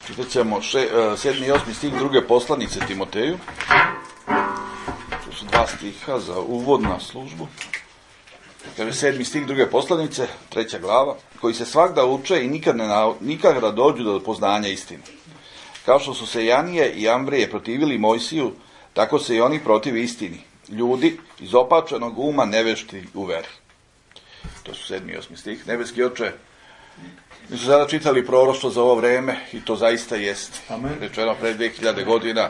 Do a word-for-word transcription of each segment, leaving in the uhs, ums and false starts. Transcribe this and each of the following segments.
Čitat ćemo še, sedmi i osmi stih druge poslanice Timoteju. To su dva stiha za uvod na službu. Kaže sedmi stih druge poslanice, treća glava, koji se svakda uče i nikad, ne, nikad da dođu do poznanja istine. Kao što su se Janije i Ambrije protivili Mojsiju, tako se i oni protivi istini. Ljudi iz opačenog uma nevešti u veri. To su sedmi i osmi stih. Nebeski Oče, mi su sada čitali proroštvo za ovo vreme i to zaista jest. Rečeno pre dve hiljade godina.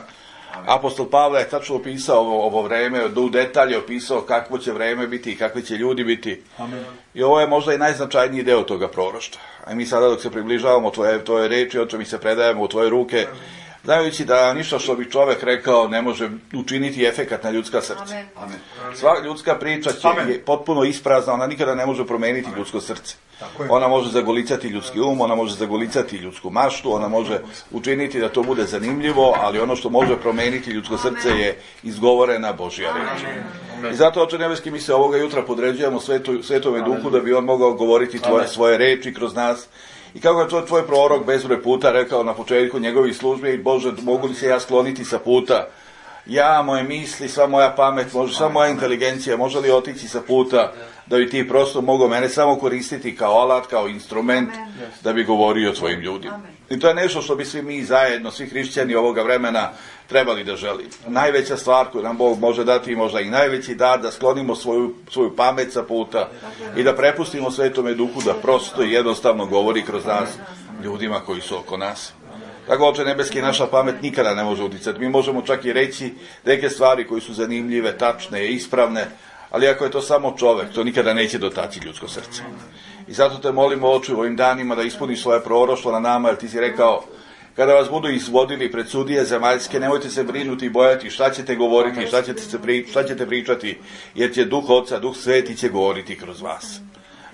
Apostol Pavle je tačno opisao ovo, ovo vreme, u detalje opisao kakvo će vreme biti i kakvi će ljudi biti. Amen. I ovo je možda i najznačajniji deo toga proroštva. A mi sada dok se približavamo tvoje, tvoje reči, Oče, mi se predajemo u tvoje ruke, znajući da ništa što bi čovek rekao ne može učiniti efekat na ljudska srca. Amen. Sva ljudska priča će je potpuno isprazna, ona nikada ne može promeniti ljudsko srce. Ona može zagolicati ljudski um, ona može zagolicati ljudsku maštu, ona može učiniti da to bude zanimljivo, ali ono što može promeniti ljudsko srce je izgovorena Božja reč. I zato, Oče nebeski, mi se ovoga jutra podređujemo svetu, Svetome Duhu da bi on mogao govoriti tvoje, svoje reči kroz nas. I kako je to tvoj prorok bezbroj puta rekao na početku njegovih službi, Bože, mogu li se ja skloniti sa puta? Ja, moje misli, sva moja pamet, može, sva moja inteligencija, može li otići sa puta da bi ti prosto mogao mene samo koristiti kao alat, kao instrument, da bi govorio svojim ljudima. I to je nešto što bi svi mi zajedno, svi hrišćani ovoga vremena trebali da želimo. Najveća stvar koju nam Bog može dati, možda i najveći dar, da sklonimo svoju, svoju pamet sa puta i da prepustimo Svetome Duhu da prosto i jednostavno govori kroz nas ljudima koji su oko nas. Tako, Oče nebeski, naša pamet nikada ne može uticati. Mi možemo čak i reći neke stvari koje su zanimljive, tačne, ispravne, ali ako je to samo čovek, to nikada neće dotaći ljudsko srce. I zato te molimo, Oče, u ovim danima da ispuniš svoje proroštvo na nama, jer ti si rekao, kada vas budu izvodili pred sudije zemaljske, nemojte se brinuti i bojati šta ćete govoriti, šta ćete, se pri, šta ćete pričati, jer će Duh Oca, Duh Sveti će govoriti kroz vas.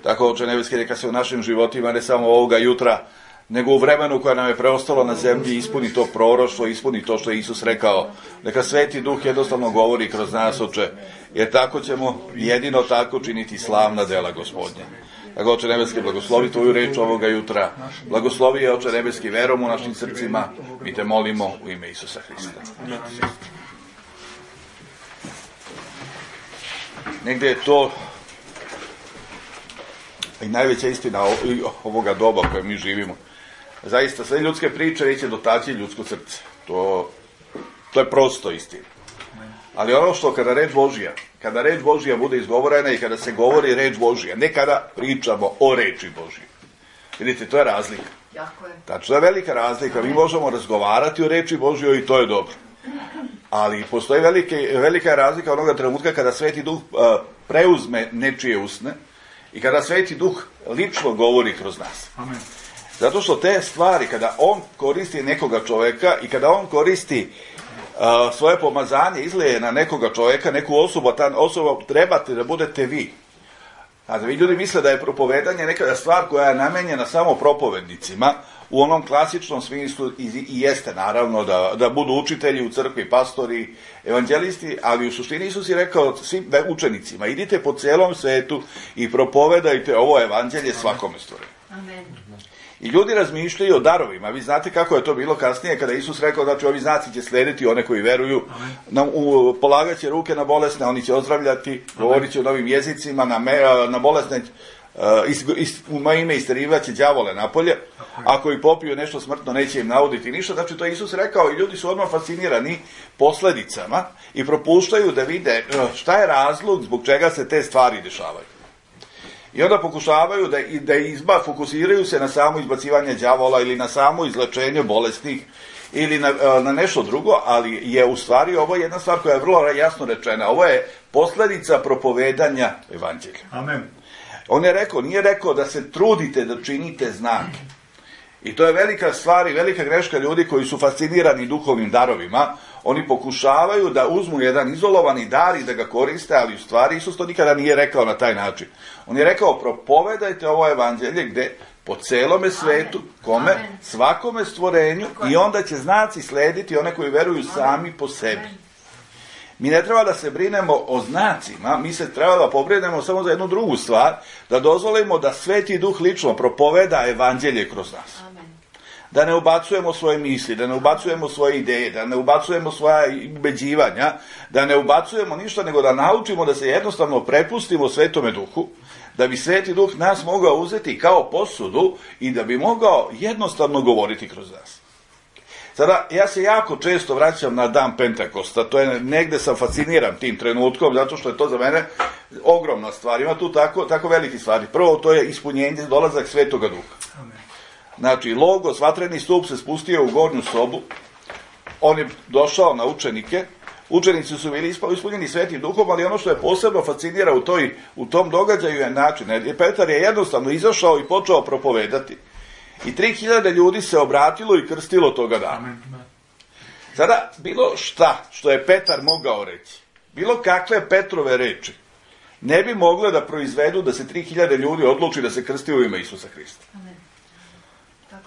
Tako, Oče nebeski, neka se u našim životima, ne samo ovoga jutra, nego u vremenu koje nam je preostalo na zemlji, ispuni to proroštvo, ispuni to što je Isus rekao. Neka Sveti Duh jednostavno govori kroz nas, Oče, jer tako ćemo jedino tako činiti slavna dela Gospodnja. Tako, Oče nebeski, blagoslovi tvoju reč ovoga jutra. Blagoslovi je, Oče nebeski, verom u našim srcima. Mi te molimo u ime Isusa Hrista. Negde je to i najveća istina ovoga doba u kojem mi živimo. Zaista, sve ljudske priče neće dotaći ljudsko srce. To, to je prosto istina. Ali ono što kada reč Božja, kada reč Božja bude izgovorena i kada se govori reč Božja, ne kada pričamo o reči Božje. Vidite, to je razlika. Tačno je velika razlika. Mi možemo razgovarati o reči Božjoj i to je dobro. Ali postoji velike, velika razlika onoga trenutka kada Sveti Duh uh, preuzme nečije usne i kada Sveti Duh lično govori kroz nas. Amen. Zato što te stvari, kada on koristi nekoga čoveka i kada on koristi uh, svoje pomazanje, izlije na nekoga čoveka, neku osobu, ta osoba trebate da budete vi. A da vi ljudi misle da je propovedanje nekada stvar koja je namenjena samo propovednicima, u onom klasičnom smislu i, i jeste naravno da, da budu učitelji u crkvi, pastori, evanđelisti, ali u suštini Isus je rekao svim učenicima, idite po celom svetu i propovedajte ovo evanđelje svakome stvorenju. Amen. I ljudi razmišljaju o darovima. Vi znate kako je to bilo kasnije kada Isus rekao da će ovi znaci će slediti one koji veruju, na, u, polagaće ruke na bolesne, oni će ozdravljati, govorit će o novim jezicima, na, me, na bolesne uh, is, is, u moje ime isterivaće đavole napolje, ako i popiju nešto smrtno neće im nauditi ništa. Znači to je Isus rekao i ljudi su odmah fascinirani posledicama i propuštaju da vide šta je razlog zbog čega se te stvari dešavaju. I onda pokušavaju da, da izba, fokusiraju se na samo izbacivanje đavola ili na samo izlečenje bolesnih ili na, na nešto drugo, ali je u stvari ovo jedna stvar koja je vrlo jasno rečena. Ovo je posledica propovedanja evanđelja. Amen. On je rekao, nije rekao da se trudite da činite znake. I to je velika stvar i velika greška ljudi koji su fascinirani duhovnim darovima. Oni pokušavaju da uzmu jedan izolovani dar i da ga koriste, ali u stvari Isus to nikada nije rekao na taj način. On je rekao, propovedajte ovo evanđelje gde po celome svetu, kome, Amen. Svakome stvorenju i onda će znaci slediti one koji veruju sami po sebi. Mi ne treba da se brinemo o znacima, mi se treba da pobrinemo samo za jednu drugu stvar, da dozvolimo da Sveti Duh lično propoveda evanđelje kroz nas. Amen. da ne ubacujemo svoje misli, da ne ubacujemo svoje ideje, da ne ubacujemo svoja ubeđivanja, da ne ubacujemo ništa, nego da naučimo da se jednostavno prepustimo Svetome Duhu, da bi Sveti Duh nas mogao uzeti kao posudu i da bi mogao jednostavno govoriti kroz nas. Sada, ja se jako često vraćam na dan Pentakosta, to je negde sam fasciniran tim trenutkom, zato što je to za mene ogromna stvar, ima tu tako, tako veliki stvari. Prvo, to je ispunjenje, dolazak Svetoga Duha. Amen. Znači, Logos, vatreni stup se spustio u gornju sobu, on je došao na učenike, učenici su bili ispunjeni Svetim Duhom, ali ono što je posebno fascinira u, toj, u tom događaju je način, jer Petar je jednostavno izašao i počeo propovedati. I tri hiljade ljudi se obratilo i krstilo toga dana. Sada, bilo šta što je Petar mogao reći, bilo kakve Petrove reči, ne bi mogle da proizvedu da se tri hiljade ljudi odluči da se krsti u ime Isusa Hrista.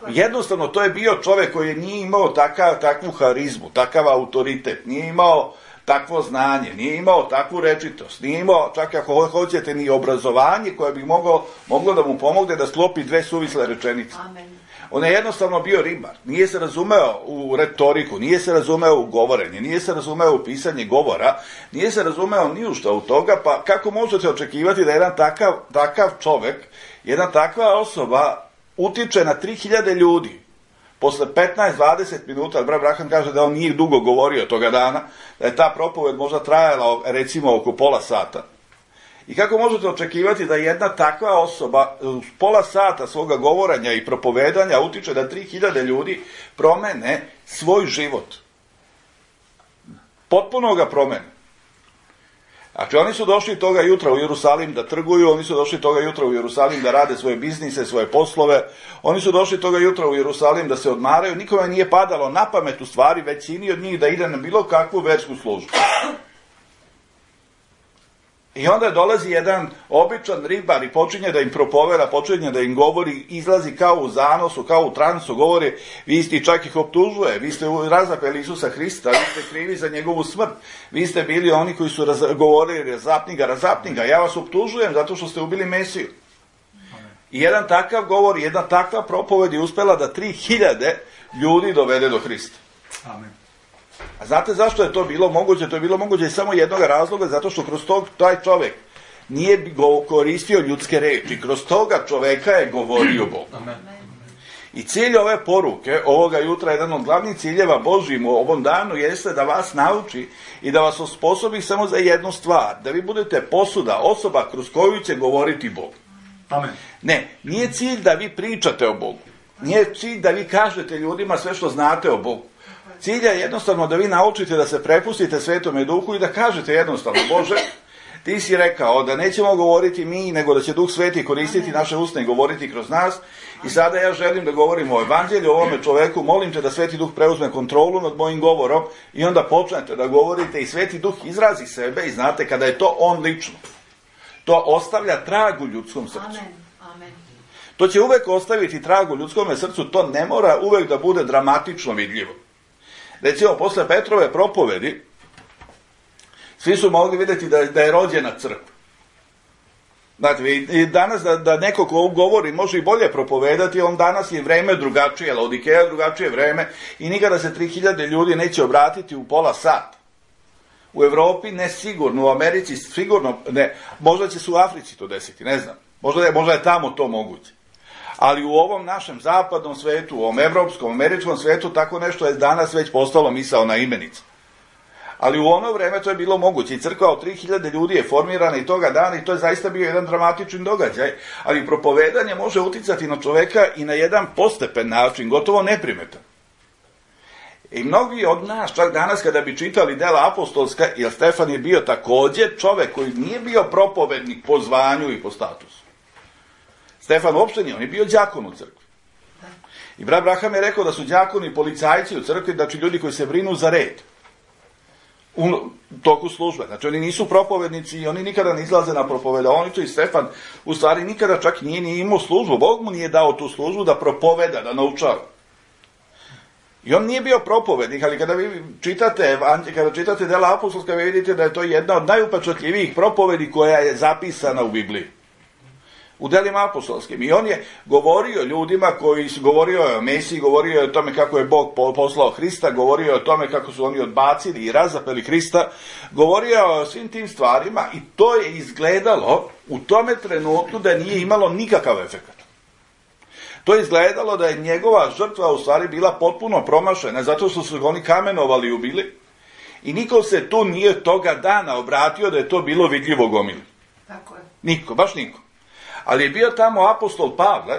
Jednostavno, to je bio čovek koji nije imao takav, takvu harizmu, takav autoritet, nije imao takvo znanje, nije imao takvu rečitost, nije imao, čak ako hoćete, ni obrazovanje koje bi moglo, moglo da mu pomogne da sklopi dve suvisle rečenice. Amen. On je jednostavno bio ribar, nije se razumeo u retoriku, nije se razumeo u govorenje, nije se razumeo u pisanje govora, nije se razumeo ni u šta u toga, pa kako možete očekivati da jedan takav, takav čovek, jedna takva osoba utiče na tri hiljade ljudi? Posle petnaest do dvadeset minuta, brat Braham kaže da on nije dugo govorio toga dana, da je ta propoved možda trajala recimo oko pola sata. I kako možete očekivati da jedna takva osoba uz pola sata svoga govoranja i propovedanja utiče da tri hiljade ljudi promene svoj život? Potpuno ga promene. Znači, oni su došli toga jutra u Jerusalim da trguju, oni su došli toga jutra u Jerusalim da rade svoje biznise, svoje poslove, oni su došli toga jutra u Jerusalim da se odmaraju, nikome nije padalo na pamet u stvari većini od njih da ide na bilo kakvu versku službu. I onda dolazi jedan običan ribar i počinje da im propoveda, počinje da im govori, izlazi kao u zanosu, kao u transu, govori, vi ste, čak ih optužuje, vi ste razapeli Isusa Hrista, vi ste krivi za njegovu smrt, vi ste bili oni koji su raz, govorili razapni ga, razapni ga, ja vas optužujem zato što ste ubili Mesiju. I jedan takav govor, jedna takva propoved je uspela da tri hiljade ljudi dovede do Hrista. Amen. A znate zašto je to bilo moguće? To je bilo moguće iz samo jednog razloga, zato što kroz tog, taj čovek nije koristio ljudske reči, kroz toga čoveka je govorio Bog. I cilj ove poruke, ovoga jutra, jedan od glavnih ciljeva Božjim u ovom danu jeste da vas nauči i da vas osposobi samo za jednu stvar, da vi budete posuda, osoba kroz koju će govoriti Bog. Amen. Ne, nije cilj da vi pričate o Bogu, nije cilj da vi kažete ljudima sve što znate o Bogu. Cilj je jednostavno da vi naučite da se prepustite Svetome Duhu i da kažete jednostavno, Bože, ti si rekao da nećemo govoriti mi, nego da će Duh Sveti koristiti naše usne i govoriti kroz nas. I sada ja želim da govorim o evanđelju, o ovome čoveku, molim te da Sveti Duh preuzme kontrolu nad mojim govorom i onda počnete da govorite i Sveti Duh izrazi sebe i znate kada je to on lično. To ostavlja trag u ljudskom srcu. Amen. To će uvek ostaviti trag u ljudskom srcu, to ne mora uvek da bude dramatično vidljivo. Recimo, posle Petrove propovedi, svi su mogli vidjeti da, da je rođena crkva. Znate, i danas da, da neko ko govori može i bolje propovedati, on danas je vreme drugačije, Laodikeja drugačije vreme i nikada se tri hiljade ljudi neće obratiti u pola sata. U Evropi ne sigurno, u Americi sigurno ne, možda će se u Africi to desiti, ne znam, možda je, možda je tamo to moguće. Ali u ovom našem zapadnom svetu, u ovom evropskom, američkom svetu, tako nešto je danas već postalo misaona imenica. Ali u ono vreme to je bilo moguće i crkva od tri hiljade ljudi je formirana i toga dana i to je zaista bio jedan dramatičan događaj, ali propovedanje može uticati na čoveka i na jedan postepen način, gotovo neprimetan. I mnogi od nas, čak danas kada bi čitali dela apostolska, jer Stefan je bio takođe čovek koji nije bio propovednik po zvanju i po statusu. Stefan uopšte nije, on je bio đakon u crkvi. I brat Braham je rekao da su đakoni policajci u crkvi, znači ljudi koji se brinu za red u toku službe. Znači oni nisu propovednici i oni nikada ne izlaze na propoveda. Oni to i Stefan u stvari nikada čak nije ni imao službu. Bog mu nije dao tu službu da propoveda, da naučava. I on nije bio propovednik, ali kada vi čitate, kada čitate dela apostolska, vi vidite da je to jedna od najupečatljivijih propovedi koja je zapisana u Bibliji. U delima apostolskim. I on je govorio ljudima koji su govorio o Mesiji, govorio o tome kako je Bog poslao Hrista, govorio o tome kako su oni odbacili i razapeli Hrista, govorio o svim tim stvarima i to je izgledalo u tome trenutku da nije imalo nikakav efekt. To je izgledalo da je njegova žrtva u stvari bila potpuno promašena, zato što su oni kamenovali i ubili i niko se tu nije toga dana obratio da je to bilo vidljivo gomili. Tako je. Niko, baš niko. Ali je bio tamo apostol Pavle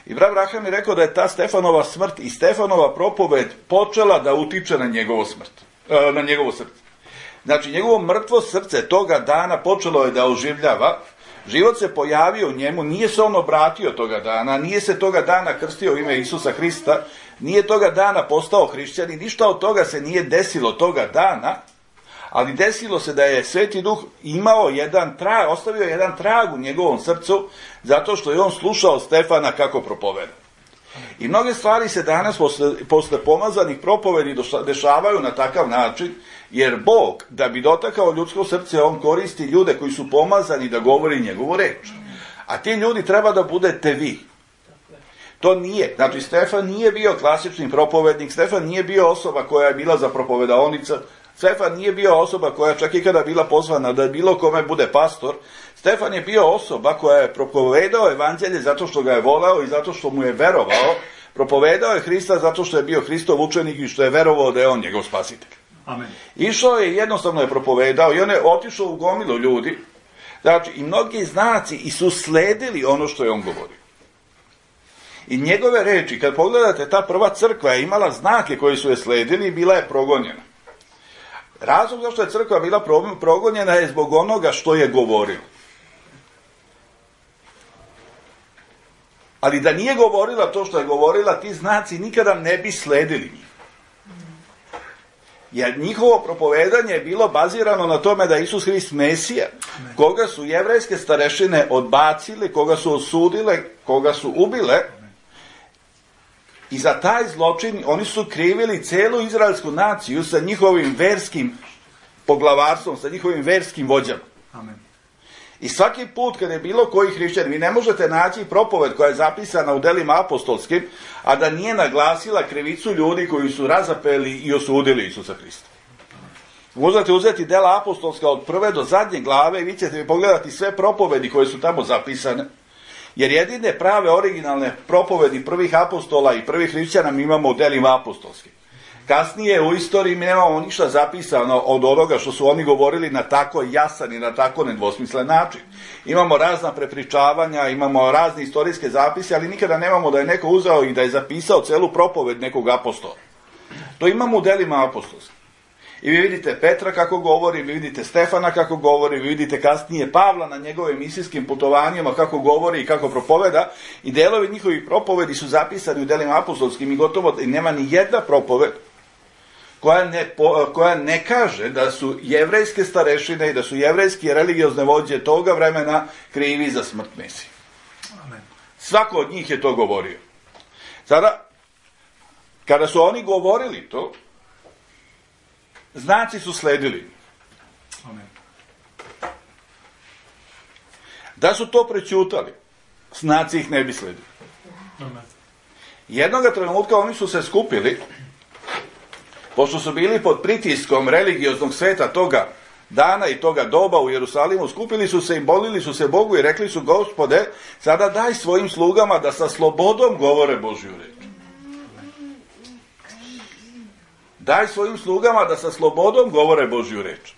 i brat Braham je rekao da je ta Stefanova smrt i Stefanova propoved počela da utiče na njegovo smrt, na njegovo srce. Znači, njegovo mrtvo srce toga dana počelo je da oživljava, život se pojavio u njemu, nije se on obratio toga dana, nije se toga dana krstio u ime Isusa Hrista, nije toga dana postao hrišćan i ništa od toga se nije desilo toga dana, ali desilo se da je Sveti Duh imao jedan trag, ostavio jedan trag u njegovom srcu, zato što je on slušao Stefana kako propoveda. I mnoge stvari se danas posle, posle pomazanih propovedi dešavaju na takav način, jer Bog, da bi dotakao ljudsko srce, on koristi ljude koji su pomazani da govori njegovu reč. A ti ljudi treba da budete vi. To nije. Znači, Stefan nije bio klasični propovednik, Stefan nije bio osoba koja je bila za propovedaonica, Stefan nije bio osoba koja čak i kada bila pozvana da bilo kome bude pastor. Stefan je bio osoba koja je propovedao evanđelje zato što ga je voleo i zato što mu je verovao. Propovedao je Hrista zato što je bio Hristov učenik i što je verovao da je on njegov spasitelj. Amen. Išao je, jednostavno je propovedao i on je otišao u gomilu ljudi. Znači, i mnogi znaci i su sledili ono što je on govorio. I njegove reči, kad pogledate, ta prva crkva je imala znake koji su je sledili i bila je progonjena. Razlog zašto je crkva bila progonjena je zbog onoga što je govorila. Ali da nije govorila to što je govorila, ti znaci nikada ne bi sledili njih. Jer njihovo propovedanje je bilo bazirano na tome da je Isus Hrist Mesija, koga su jevrejske starešine odbacili, koga su osudile, koga su ubile. I za taj zločin oni su krivili celu izraelsku naciju sa njihovim verskim poglavarstvom, sa njihovim verskim vođama. Amen. I svaki put kad je bilo koji hrišćan, vi ne možete naći propoved koja je zapisana u delima apostolskim, a da nije naglasila krivicu ljudi koji su razapeli i osudili Isusa Hrista. Možete uzeti dela apostolska od prve do zadnje glave i vi ćete pogledati sve propovedi koje su tamo zapisane. Jer jedine prave originalne propovedi prvih apostola i prvih hrišćana mi imamo u delima apostolskim. Kasnije u istoriji mi nemamo ništa zapisano od onoga što su oni govorili na tako jasan i na tako nedvosmislen način. Imamo razna prepričavanja, imamo razne istorijske zapise, ali nikada nemamo da je neko uzeo i da je zapisao celu propoved nekog apostola. To imamo u delima apostolskim. I vi vidite Petra kako govori, vi vidite Stefana kako govori, vi vidite kasnije Pavla na njegovim misijskim putovanjima kako govori i kako propoveda. I delovi njihovih propovedi su zapisani u delima apostolskim i gotovo i nema ni jedna propoved koja ne, koja ne kaže da su jevrejske starešine i da su jevrejske religiozne vođe toga vremena krivi za smrt Mesije. Amen. Svako od njih je to govorio. Sada, kada su oni govorili to, znaci su sledili. Amen. Da su to prećutali, znaci ih ne bi sledili. Amen. Jednoga trenutka oni su se skupili, pošto su bili pod pritiskom religioznog sveta toga dana i toga doba u Jerusalimu, skupili su se i molili su se Bogu i rekli su: Gospode, sada daj svojim slugama da sa slobodom govore Božju reč. Daj svojim slugama da sa slobodom govore Božju reč.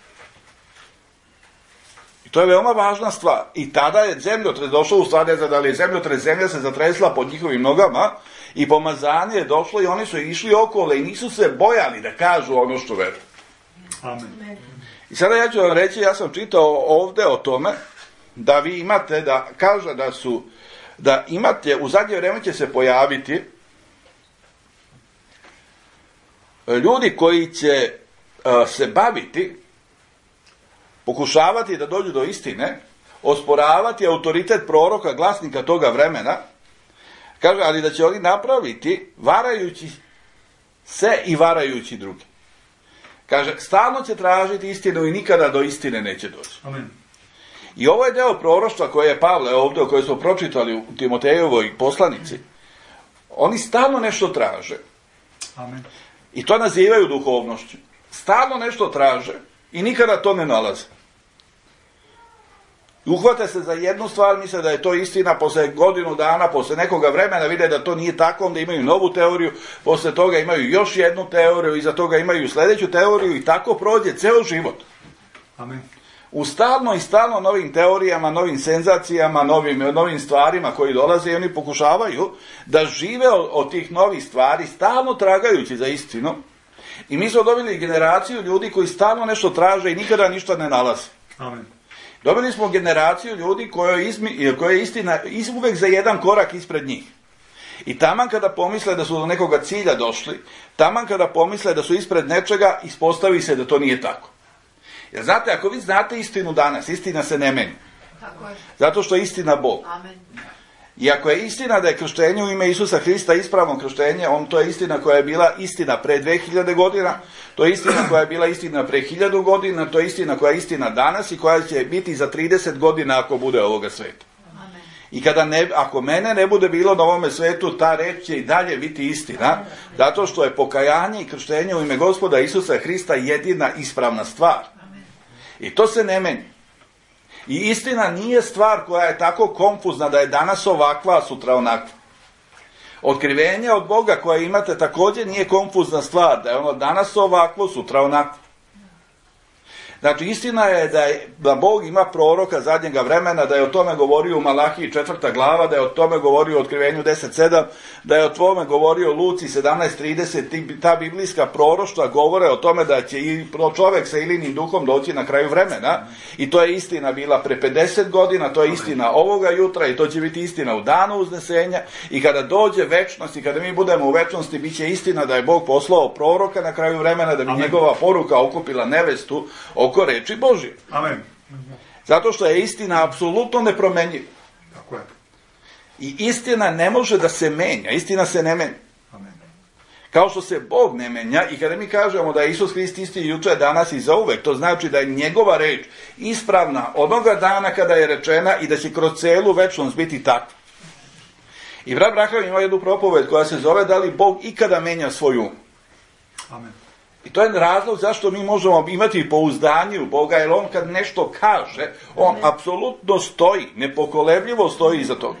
I to je veoma važna stvar. I tada je zemljotres došao, u stvari ne znam da li je zemljotres, zemlja se zatresla pod njihovim nogama i pomazanje je došlo i oni su išli okolo i nisu se bojali da kažu ono što veruju. Amen. I sada ja ću vam reći, ja sam čitao ovde o tome da vi imate, da kaže da su, da imate, u zadnje vreme će se pojaviti ljudi koji će uh, se baviti, pokušavati da dođu do istine, osporavati autoritet proroka, glasnika toga vremena, kaže, ali da će oni napraviti varajući se i varajući drugi. Kaže, stalno će tražiti istinu i nikada do istine neće doći. Amen. I ovo je deo proroštva koje je Pavle ovdje, koje smo pročitali u Timotejevoj poslanici. Oni stalno nešto traže. Amen. I to nazivaju duhovnošću. Stalno nešto traže i nikada to ne nalaze. Uhvate se za jednu stvar, misle da je to istina, posle godinu dana, posle nekoga vremena vide da to nije tako, onda imaju novu teoriju, posle toga imaju još jednu teoriju, iza toga imaju sljedeću teoriju i tako prođe ceo život. Amen. U stalno i stalno novim teorijama, novim senzacijama, novim, novim stvarima koji dolaze i oni pokušavaju da žive od, od tih novih stvari, stalno tragajući za istinu. I mi smo dobili generaciju ljudi koji stalno nešto traže i nikada ništa ne nalaze. Amen. Dobili smo generaciju ljudi koja je istina uvek za jedan korak ispred njih. I taman kada pomisle da su do nekoga cilja došli, taman kada pomisle da su ispred nečega, ispostavi se da to nije tako. Jer znate, ako vi znate istinu danas, istina se ne meni. Zato što je istina Bog. Amen. I ako je istina da je krštenje u ime Isusa Hrista ispravno krštenje, on to je istina koja je bila istina pre dve hiljade godina, to je istina koja je bila istina pre hiljadu godina, to je istina koja je istina danas i koja će biti za trideset godina ako bude ovoga sveta. Amen. I kada ne, ako mene ne bude bilo na ovome svetu, ta reč će i dalje biti istina, zato što je pokajanje i krštenje u ime Gospoda Isusa Hrista jedina ispravna stvar. Amen. I to se ne meni. I istina nije stvar koja je tako konfuzna da je danas ovakva, a sutra onakva. Otkrivenje od Boga koje imate također nije konfuzna stvar, da je ono danas ovakvo, sutra onakvo. Znači, istina je da, je da Bog ima proroka zadnjega vremena, da je o tome govorio u Malahiji četvrta glava, da je o tome govorio u Otkrivenju deset sedam, da je o tome govorio u Luci sedamnaest trideset, ta biblijska proroštva govore o tome da će i čovjek sa Ilinim duhom doći na kraju vremena i to je istina bila pre pedeset godina, to je istina ovoga jutra i to će biti istina u danu uznesenja i kada dođe večnost i kada mi budemo u večnosti, bit će istina da je Bog poslao proroka na kraju vremena da bi Amen. Njegova poruka okupila nevestu oko reči Božje. Amen. Zato što je istina apsolutno nepromenjiva. Tako je. I istina ne može da se menja. Istina se ne menja. Amen. Kao što se Bog ne menja i kada mi kažemo da je Isus Hrist isti juče, danas i zauvek, to znači da je njegova reč ispravna onoga dana kada je rečena i da će kroz celu večnost biti takva. I brat Braham ima jednu propoved koja se zove da li Bog ikada menja svoj um. Amen. I to je razlog zašto mi možemo imati pouzdanje u Boga, jer on kad nešto kaže, on apsolutno stoji, nepokolebljivo stoji iza toga.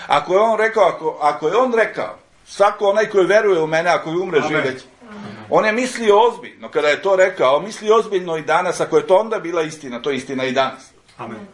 Ako je on rekao, ako, ako je on rekao, svako onaj koji veruje u mene, ako je umre živeć, on je mislio ozbiljno, kada je to rekao, misli ozbiljno i danas, ako je to onda bila istina, to je istina i danas. Amen.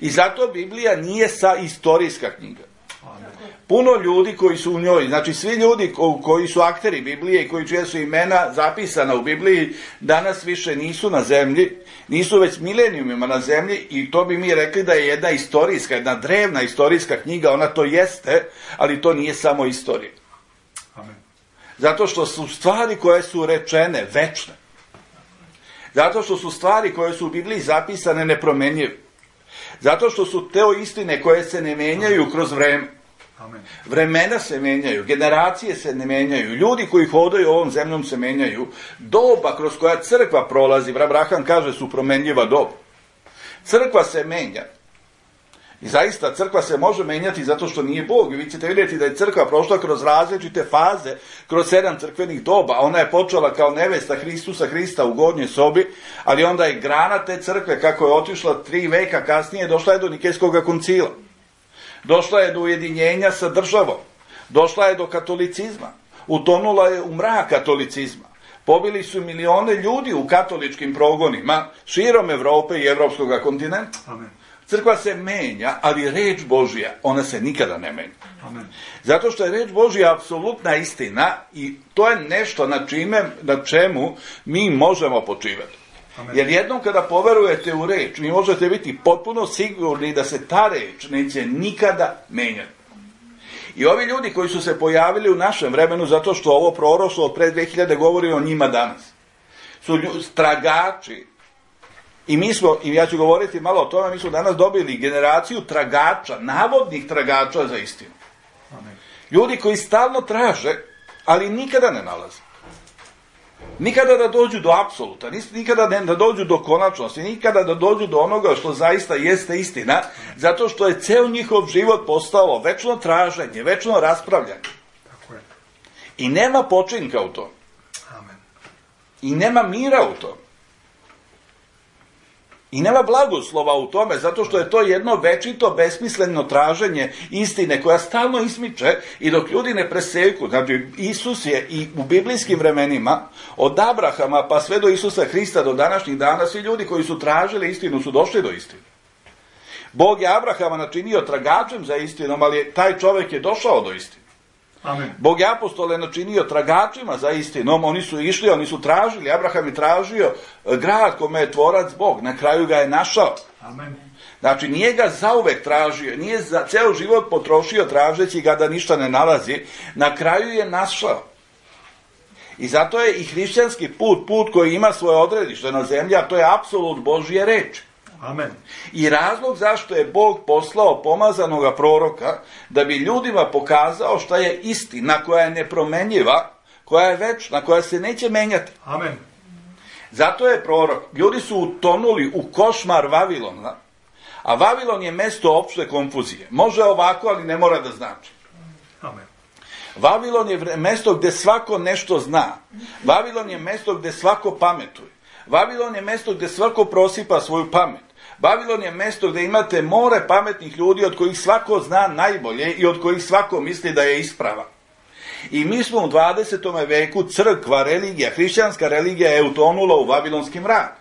I zato Biblija nije sa istorijska knjiga. Amen. Puno ljudi koji su u njoj, znači svi ljudi ko, koji su akteri Biblije i koji čije su imena zapisana u Bibliji, danas više nisu na zemlji, nisu već milenijumima na zemlji i to bi mi rekli da je jedna istorijska, jedna drevna istorijska knjiga, ona to jeste, ali to nije samo istorija. Amen. Zato što su stvari koje su rečene večne. Zato što su stvari koje su u Bibliji zapisane nepromenjive. Zato što su te istine koje se ne menjaju kroz vreme. Amen. Vremena se menjaju, generacije se ne menjaju, ljudi koji hodaju ovom zemljom se menjaju, doba kroz koja crkva prolazi, brat Braham kaže, su promenljiva doba. Crkva se menja. I zaista crkva se može menjati zato što nije Bog. Vi ćete vidjeti da je crkva prošla kroz različite faze, kroz sedam crkvenih doba. Ona je počela kao nevesta Hristusa Hrista u gornjoj sobi, ali onda je grana te crkve, kako je otišla tri veka kasnije, došla je do Nikejskog koncila. Došla je do ujedinjenja sa državom. Došla je do katolicizma. Utonula je u mrak katolicizma. Pobili su milione ljudi u katoličkim progonima širom Evrope i evropskog kontinenta. Amen. Crkva se menja, ali reč Božja, ona se nikada ne menja. Amen. Zato što je reč Božja apsolutna istina i to je nešto na, čime, na čemu mi možemo počivati. Amen. Jer jednom kada poverujete u reč, vi možete biti potpuno sigurni da se ta reč neće nikada menjati. I ovi ljudi koji su se pojavili u našem vremenu, zato što ovo proroštvo od pre dve hiljade govori o njima danas, su tragači. I mi smo, i ja ću govoriti malo o tome, mi smo danas dobili generaciju tragača, navodnih tragača za istinu. Amen. Ljudi koji stalno traže, ali nikada ne nalaze. Nikada da dođu do apsoluta, nikada ne da dođu do konačnosti, nikada da dođu do onoga što zaista jeste istina, zato što je ceo njihov život postao večno traženje, večno raspravljanje. Tako je. I nema počinka u tom. Amen. I nema mira u tom. I nema blagoslova u tome, zato što je to jedno večito, besmisleno traženje istine koja stalno ismiče i dok ljudi ne preseku. Znači, Isus je i u biblijskim vremenima, od Abrahama pa sve do Isusa Hrista do današnjih dana, svi ljudi koji su tražili istinu su došli do istine. Bog je Abrahama načinio tragačem za istinom, ali taj čovjek je došao do istine. Amen. Bog je apostole načinio tragačima za istinom, oni su išli, oni su tražili, Abraham je tražio grad kome je tvorac Bog, na kraju ga je našao. Amen. Znači, nije ga zauvek tražio, nije za ceo život potrošio tražeći ga da ništa ne nalazi, na kraju je našao. I zato je i hrišćanski put, put koji ima svoje odredište na zemlji, a to je apsolut Božje reči. Amen. I razlog zašto je Bog poslao pomazanoga proroka, da bi ljudima pokazao šta je istina, koja je nepromenjiva, koja je večna, koja se neće menjati. Amen. Zato je prorok. Ljudi su utonuli u košmar Vavilona, a Vavilon je mesto opšte konfuzije. Može ovako, ali ne mora da znači. Amen. Vavilon je mesto gde svako nešto zna. Vavilon je mesto gde svako pametuje. Vavilon je mesto gde svako prosipa svoju pamet. Vavilon je mesto gde imate more pametnih ljudi od kojih svako zna najbolje i od kojih svako misli da je ispravan. I mi smo u dvadesetom veku, crkva, religija, hrišćanska religija je utonula u vavilonski mrak.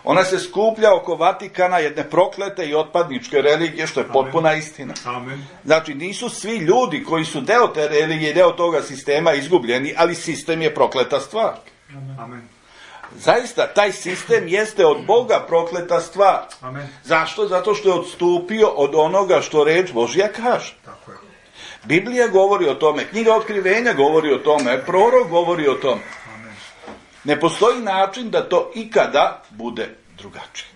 Ona se skuplja oko Vatikana, jedne proklete i otpadničke religije, što je potpuna istina. Amen. Znači, nisu svi ljudi koji su deo te religije, deo toga sistema izgubljeni, ali sistem je prokleta stvar. Amen. Zaista, taj sistem jeste od Boga prokleta stvar. Amen. Zašto? Zato što je odstupio od onoga što reč Božja kaže. Tako je. Biblija govori o tome, knjiga Otkrivenja govori o tome, prorok govori o tome. Amen. Ne postoji način da to ikada bude drugačije.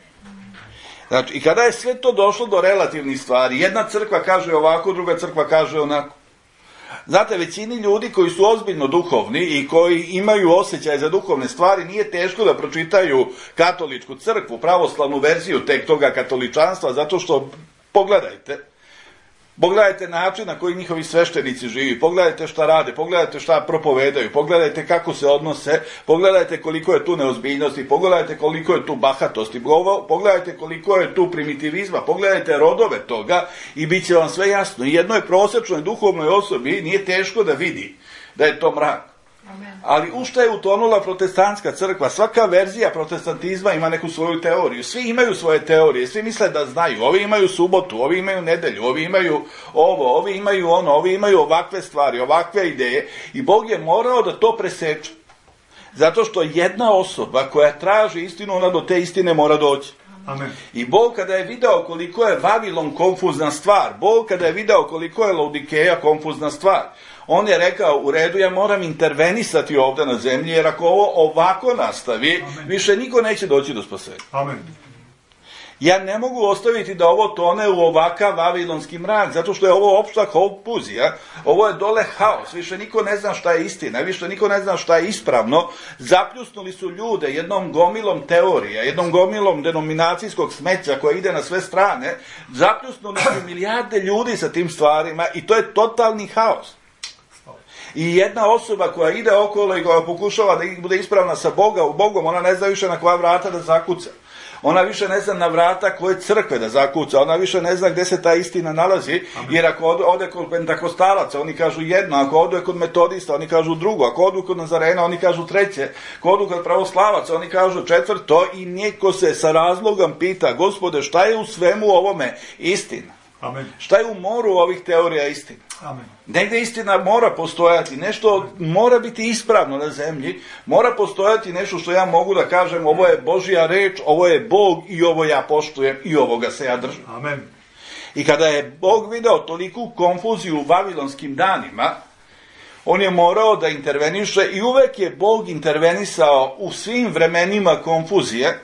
Znači, i kada je sve to došlo do relativnih stvari, jedna crkva kaže ovako, druga crkva kaže onako. Znate, većini ljudi koji su ozbiljno duhovni i koji imaju osjećaj za duhovne stvari, nije teško da pročitaju katoličku crkvu, pravoslavnu verziju tek toga katoličanstva, zato što, pogledajte, pogledajte način na koji njihovi sveštenici živi, pogledajte šta rade, pogledajte šta propovedaju, pogledajte kako se odnose, pogledajte koliko je tu neozbiljnosti, pogledajte koliko je tu bahatosti, pogledajte koliko je tu primitivizma, pogledajte rodove toga i bit će vam sve jasno. I jednoj prosječnoj duhovnoj osobi nije teško da vidi da je to mrak. Amen. Ali u šta je utonula protestantska crkva? Svaka verzija protestantizma ima neku svoju teoriju. Svi imaju svoje teorije, svi misle da znaju. Ovi imaju subotu, ovi imaju nedelju, ovi imaju ovo, ovi imaju ono, ovi imaju ovakve stvari, ovakve ideje. I Bog je morao da to preseče. Zato što jedna osoba koja traži istinu, ona do te istine mora doći. Amen. I Bog kada je video koliko je Vavilon konfuzna stvar, Bog kada je video koliko je Laodikeja konfuzna stvar, on je rekao, u redu, ja moram intervenisati ovdje na zemlji, jer ako ovo ovako nastavi, Amen. više niko neće doći do spasenja. Amen. Ja ne mogu ostaviti da ovo tone u ovakav vavilonski mrak, zato što je ovo opšta konfuzija, ovo je dole haos, više niko ne zna šta je istina, više niko ne zna šta je ispravno, zapljusnuli su ljude jednom gomilom teorija, jednom gomilom denominacijskog smeća koja ide na sve strane, zapljusnuli su milijarde ljudi sa tim stvarima i to je totalni haos. I jedna osoba koja ide okolo i koja pokušava da bude ispravna sa Boga, u Bogom, ona ne zna više na koja vrata da zakuca. Ona više ne zna na vrata koje crkve da zakuca, ona više ne zna gde se ta istina nalazi, jer ako ode, ode kod pentakostalaca, oni kažu jedno, ako ode kod metodista, oni kažu drugo, ako odu kod Nazarena, oni kažu treće, ako odu kod pravoslavaca, oni kažu četvrto i niko se sa razlogom pita, Gospode, šta je u svemu ovome istina? Amen. Šta je u moru ovih teorija istina? Amen. Negde istina mora postojati, nešto mora biti ispravno na zemlji, mora postojati nešto što ja mogu da kažem, ovo je Božja reč, ovo je Bog i ovo ja poštujem i ovoga se ja držim. Amen. I kada je Bog video toliku konfuziju u vavilonskim danima, on je morao da interveniše i uvek je Bog intervenisao u svim vremenima konfuzije,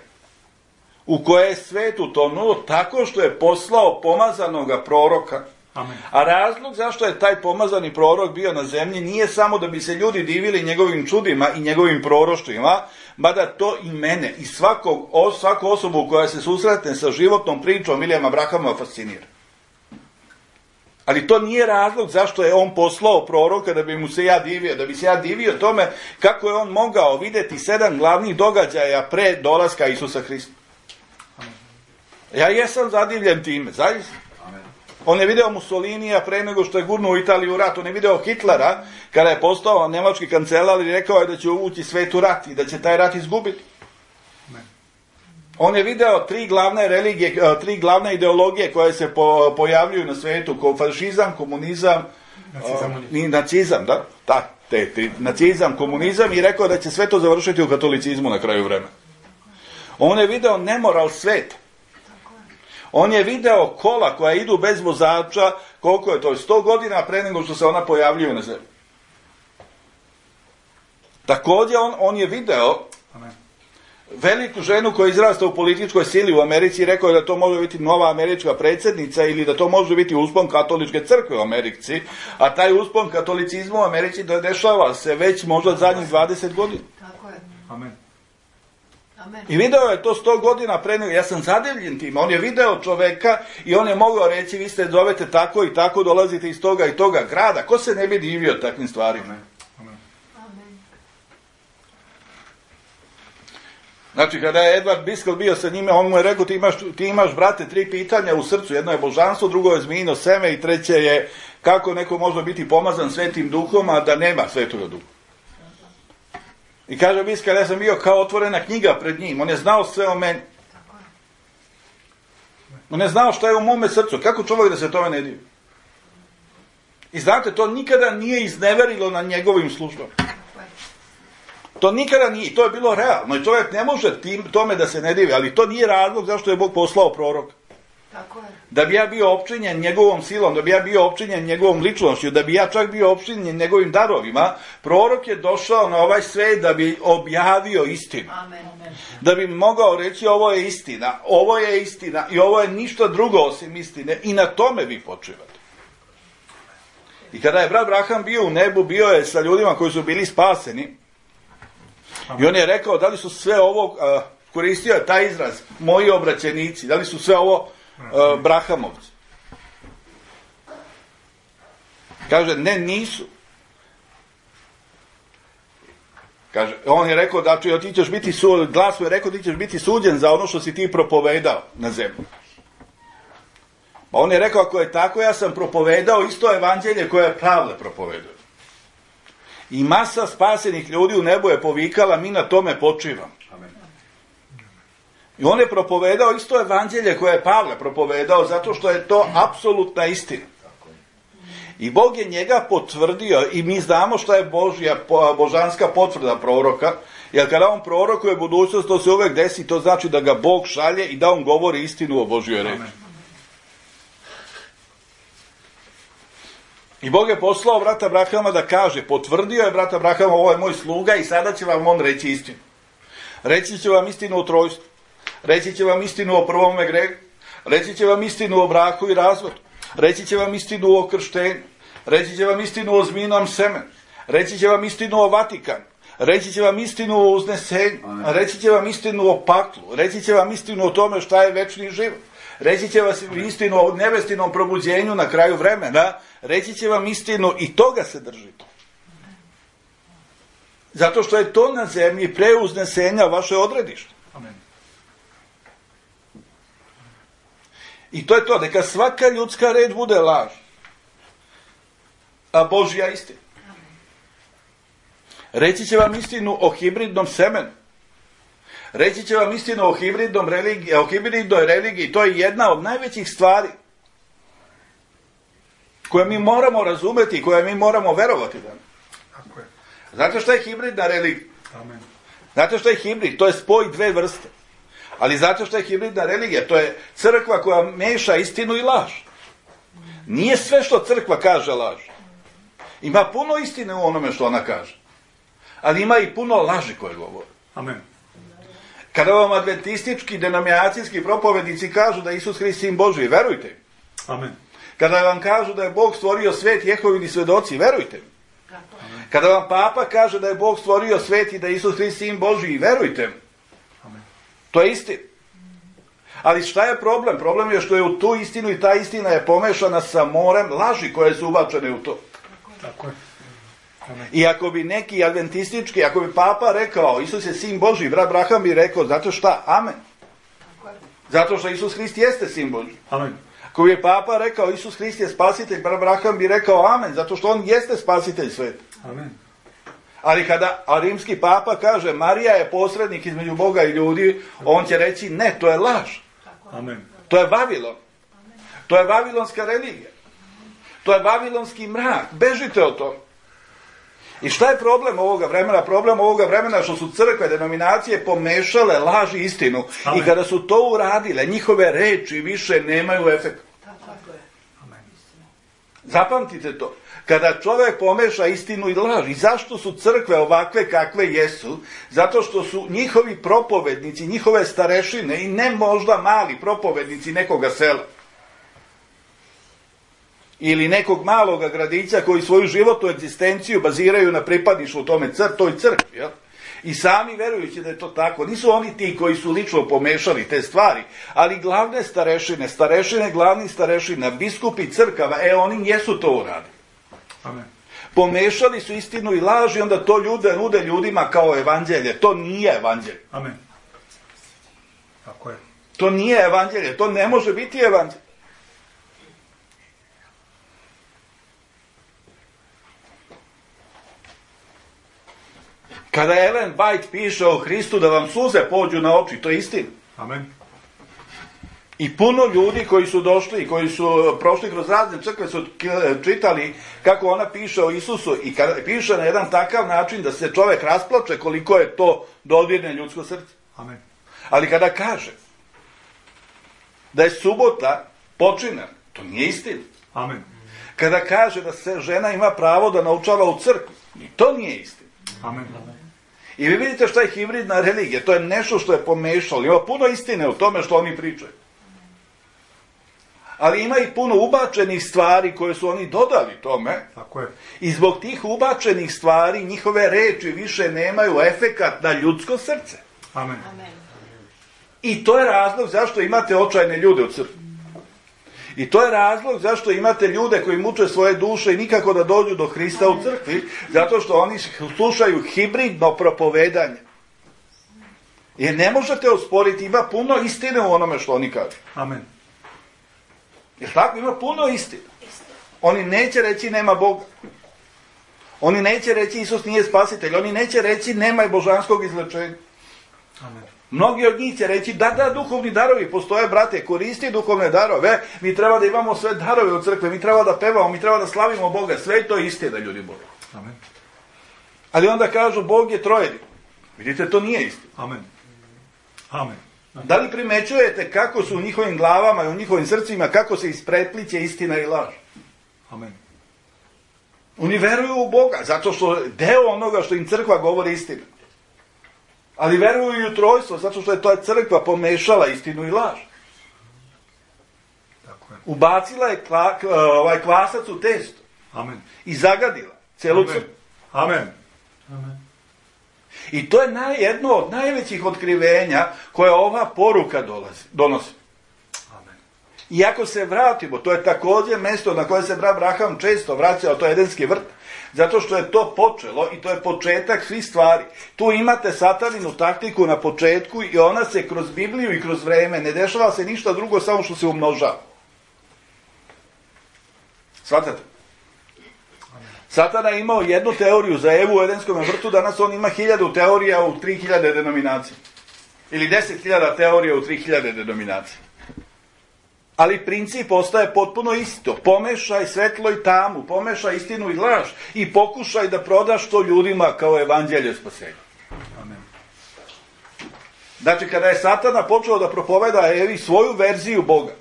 u koje je svet utonuo tako što je poslao pomazanoga proroka, Amen. A razlog zašto je taj pomazani prorok bio na zemlji nije samo da bi se ljudi divili njegovim čudima i njegovim proroštvima, mada to i mene i svakog, svaku osobu koja se susretne sa životnom pričom Williama Branhama fascinira. Ali to nije razlog zašto je on poslao proroka da bi mu se ja divio, da bi se ja divio tome kako je on mogao vidjeti sedam glavnih događaja pre dolaska Isusa Hrista. Ja jesam zadivljen time, zaista. On je video Mussolinija pre nego što je gurnuo Italiju u rat. On je video Hitlera kada je postao nemački kancelar i rekao je da će uvući svet u rat i da će taj rat izgubiti. On je video tri glavne religije, tri glavne ideologije koje se po, pojavljuju na svetu, ko fašizam, komunizam Nacizam, uh, i nacizam, da? Da, te tri, nacizam, komunizam i rekao da će sve to završiti u katolicizmu na kraju vremena. On je video nemoral sveta. On je video kola koja idu bez vozača, koliko je to, sto godina pre nego što se ona pojavljuju na zemlji. Također on, on je video Amen. veliku ženu koja je izrasta u političkoj sili u Americi i rekao je da to može biti nova američka predsjednica ili da to može biti uspon katoličke crkve u Americi, a taj uspon katolicizma u Americi dešava se već možda zadnjih dvadeset godina. Tako je. Amen. Amen. I video je to sto godina pre nego, ja sam zadivljen tim, on je video čoveka i on je mogao reći vi ste zovete tako i tako, dolazite iz toga i toga grada, ko se ne bi divio takvim stvarima? Amen. Amen. Znači, kada je Edward Biskel bio sa njime, on mu je rekao, ti imaš, ti imaš, brate, tri pitanja u srcu. Jedno je božanstvo, drugo je zmijino seme i treće je kako neko može biti pomazan svetim duhom, a da nema svetoga duha. I kaže Biskel, ja sam bio kao otvorena knjiga pred njim. On je znao sve o meni. On je znao šta je u mome srcu. Kako čovjek da se tome ne divi? I znate, to nikada nije izneverilo na njegovim službama. To nikada nije, to je bilo realno i čovjek ne može tim, tome da se ne divi, ali to nije razlog zašto je Bog poslao prorok. Tako je. Da bi ja bio opčinjen njegovom silom, da bi ja bio opčinjen njegovom ličnošću, da bi ja čak bio opčinjen njegovim darovima, prorok je došao na ovaj svet da bi objavio istinu. Amen. Da bi mogao reći ovo je istina, ovo je istina i ovo je ništa drugo osim istine i na tome vi počivate. I kada je brat Branham bio u nebu, bio je sa ljudima koji su bili spaseni. I on je rekao, da li su sve ovo, uh, koristio je taj izraz, moji obraćenici, da li su sve ovo uh, Branhamovci? Kaže, ne, nisu. Kaže, on je rekao, da ti ćeš biti su, glas mu je rekao, ti ćeš biti suđen za ono što si ti propovedao na zemlji. Pa on je rekao, ako je tako, ja sam propovedao isto evanđelje koje je Pavle propovedao. I masa spasenih ljudi u nebu je povikala, mi na tome počivamo. Amen. I on je propovedao isto evanđelje koje je Pavle propovedao, zato što je to apsolutna istina. I Bog je njega potvrdio i mi znamo šta je Božja, božanska potvrda proroka, jer kada on prorokuje budućnost, to se uvek desi, to znači da ga Bog šalje i da on govori istinu o Božjoj reči. I Bog je poslao brata Branhama da kaže, potvrdio je brata Branhama, ovo je moj sluga i sada će vam on reći istinu. Reći će vam istinu o trojstvu, reći će vam istinu o prvome grehu, reći će vam istinu o braku i razvodu, reći će vam istinu o krštenju, reći će vam istinu o zmijnom semenu, reći će vam istinu o Vatikanu, reći će vam istinu o uznesenju, reći će vam istinu o paklu, reći će vam istinu o tome šta je večni život. Reći će vam istinu o nebestinom probuđenju na kraju vremena, reći će vam istinu i toga se držite. Zato što je to na zemlji pre uznesenja vaše odredište. Amen. I to je to, neka svaka ljudska reč bude laž, a Božja istina. Reći će vam istinu o hibridnom semenu. Reći će vam istinu o hibridnom religiji, o hibridnoj religiji, to je jedna od najvećih stvari koje mi moramo razumeti i koje mi moramo verovati danas. Tako je. Znate šta je hibridna religija? Amen. Znate šta je hibrid? To je spoj dve vrste. Ali znate šta je hibridna religija? To je crkva koja meša istinu i laž. Nije sve što crkva kaže laž. Ima puno istine u onome što ona kaže. Ali ima i puno laži koje govore. Amen. Kada vam adventistički, denominacijski propovednici kažu da Isus Hrist sin Božji, verujte im. Amen. Kada vam kažu da je Bog stvorio svet, Jehovini svedoci, verujte mi. Kada vam papa kaže da je Bog stvorio svet i da je Isus Hrist sin Božji, verujte mi. To je istina. Ali šta je problem? Problem je što je u tu istinu i ta istina je pomešana sa morem laži koje su ubačene u to. Tako je. Amen. I ako bi neki adventistički, ako bi papa rekao Isus je sin Božji, brat Braham bi rekao, zato šta? Amen. Zato što Isus Hrist jeste sin Božji. Amen. Ako bi papa rekao Isus Hrist je spasitelj, brat Braham bi rekao amen, zato što on jeste spasitelj sveta. Amen. Ali kada a rimski papa kaže Marija je posrednik između Boga i ljudi, on će reći ne, to je laž. Amen. To je Vavilon. To je vavilonska religija. To je vavilonski mrak. Bežite od toga. I šta je problem ovoga vremena? Problem ovoga vremena što su crkve, denominacije pomešale laž i istinu. Amen. I kada su to uradile, njihove reči više nemaju efekta. Amen. Zapamtite to. Kada čovjek pomeša istinu i laž, i zašto su crkve ovakve kakve jesu? Zato što su njihovi propovednici, njihove starešine i ne možda mali propovednici nekoga sela ili nekog maloga gradića koji svoju životnu egzistenciju baziraju na pripadništvu tome cr, toj crkvi, jel? I sami verujući da je to tako. Nisu oni ti koji su lično pomešali te stvari, ali glavne starešine, starešine glavnih starešina, biskupi crkava, e oni jesu to uradili. Amen. Pomešali su istinu i laž i onda to ljude nude ljudima kao evanđelje. To nije evanđelje. Amen. Tako je. To nije evanđelje. To ne može biti evanđelje. Kada Ellen White piše o Hristu da vam suze pođu na oči, to je istina. Amen. I puno ljudi koji su došli i koji su prošli kroz razne crkve su čitali kako ona piše o Isusu i kada piše na jedan takav način da se čovjek rasplače koliko je to dodirne ljudsko srce. Amen. Ali kada kaže da je subota počinak, to nije istina. Amen. Kada kaže da se žena ima pravo da naučava u crkvi, i to nije istina. Amen. I vi vidite šta je hibridna religija, to je nešto što je pomešalo. Ima puno istine u tome što oni pričaju. Ali ima i puno ubačenih stvari koje su oni dodali tome. Tako je. I zbog tih ubačenih stvari njihove reči više nemaju efekat na ljudsko srce. Amen. I to je razlog zašto imate očajne ljude u crkvi. I to je razlog zašto imate ljude koji muče svoje duše i nikako da dođu do Hrista u crkvi, zato što oni slušaju hibridno propovedanje. Jer ne možete osporiti, ima puno istine u onome što oni kažu. Amen. Jer tako, ima puno istine. Oni neće reći nema Boga. Oni neće reći Isus nije spasitelj. Oni neće reći nema božanskog izlečenja. Amen. Mnogi od njih će reći da, da, duhovni darovi postoje, brate, koristi duhovne darove, mi treba da imamo sve darove u crkve, mi treba da pevamo, mi treba da slavimo Boga, sve to je istina, ljudi Boga. Amen. Ali onda kažu, Bog je trojedi. Vidite, to nije istina. Amen. Amen. Da li primećujete kako su u njihovim glavama i u njihovim srcima, kako se isprepliće istina i laž? Amen. Oni veruju u Boga, zato što deo onoga što im crkva govori istina. Ali veruju i u trojstvo, zato što je to crkva pomešala istinu i laž. Tako je. Ubacila je kla, ovaj kvasac u testo. Amen. I zagadila celu Amen. crkvu. Amen. Amen. I to je naj, jedno od najvećih otkrivenja koje ova poruka dolazi, donosi. Amen. I ako se vratimo, to je također mjesto na koje se brat Braham često vraćao, to je Edenski vrt, zato što je to počelo i to je početak svih stvari. Tu imate sataninu taktiku na početku i ona se kroz Bibliju i kroz vreme, ne dešava se ništa drugo, samo što se umnožava. Svatate? Satana je imao jednu teoriju za Evu u Edenskom vrtu, danas on ima hiljadu teorija u tri hiljade denominacija. Ili deset hiljada teorija u tri hiljade denominacija. Ali princip ostaje potpuno isto. Pomešaj svetlo i tamu, pomešaj istinu i laž i pokušaj da prodaš to ljudima kao evanđelje spasenja. Amen. Znači, kada je Satana počeo da propoveda Evi svoju verziju Boga,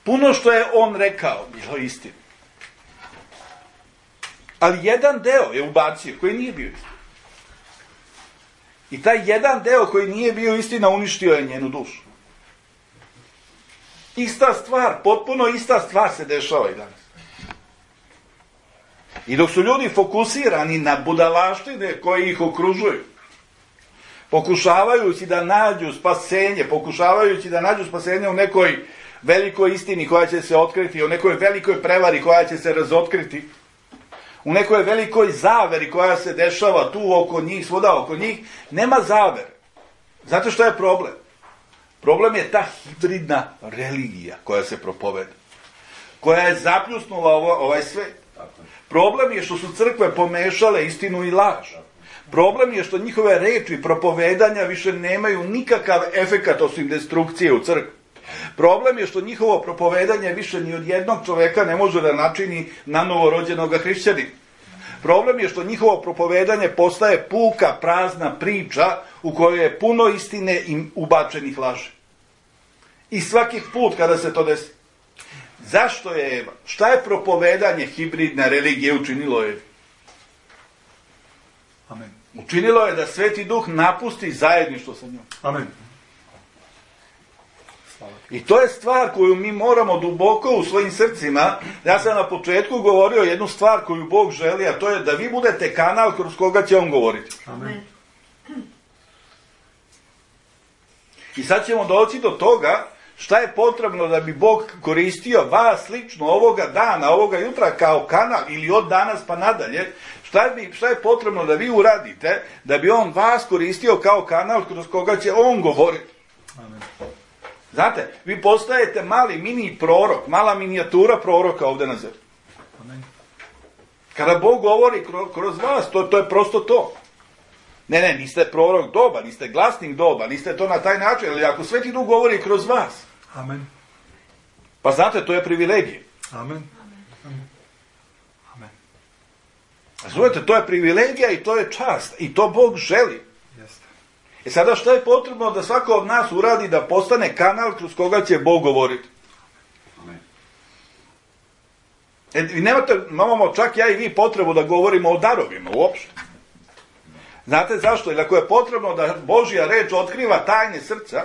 puno što je on rekao bilo istina. Ali jedan deo je ubacio koji nije bio istina. I taj jedan deo koji nije bio istina uništio je njenu dušu. Ista stvar, potpuno ista stvar se dešava i danas. I dok su ljudi fokusirani na budalaštine koje ih okružuju, pokušavajući da nađu spasenje, pokušavajući da nađu spasenje u nekoj velikoj istini koja će se otkriti, u nekoj velikoj prevari koja će se razotkriti, u nekoj velikoj zaveri koja se dešava tu oko njih, svuda oko njih, nema zavere. Znate što je problem? Problem je ta hibridna religija koja se propoveda, koja je zapljusnula ovo, ovaj svet. Problem je što su crkve pomešale istinu i laž. Problem je što njihove reči propovedanja više nemaju nikakav efekat osim destrukcije u crkvi. Problem je što njihovo propovedanje više ni od jednog čoveka ne može da načini na novorođenog hrišćanina. Problem je što njihovo propovedanje postaje puka, prazna priča u kojoj je puno istine i ubačenih laži. I svaki put kada se to desi. Zašto je Eva? Šta je propovedanje hibridne religije učinilo Evi? Amen. Učinilo je da Sveti Duh napusti zajedništvo sa njom. Amen. I to je stvar koju mi moramo duboko u svojim srcima. Ja sam na početku govorio jednu stvar koju Bog želi, a to je da vi budete kanal kroz koga će On govoriti. Amen. I sad ćemo doći do toga šta je potrebno da bi Bog koristio vas lično ovoga dana, ovoga jutra kao kanal ili od danas pa nadalje. Šta je, šta je potrebno da vi uradite da bi On vas koristio kao kanal kroz koga će On govoriti. Amen. Znate, vi postajete mali mini prorok, mala minijatura proroka ovdje na zemlji. Amen. Kada Bog govori kroz, kroz vas, to, to je prosto to. Ne, ne, niste prorok doba, niste glasnik doba, niste to na taj način, ali ako Sveti Duh govori kroz vas, Amen. pa znate, to je privilegija. Amen. Amen. Amen. Razumete, to je privilegija i to je čast. I to Bog želi. Jeste. E sada što je potrebno da svako od nas uradi da postane kanal kroz koga će Bog govoriti? Amen. E, vi nemate, imamo čak ja i vi potrebu da govorimo o darovima uopšte. Znate zašto? Jer ako je potrebno da Božja reč otkriva tajne srca,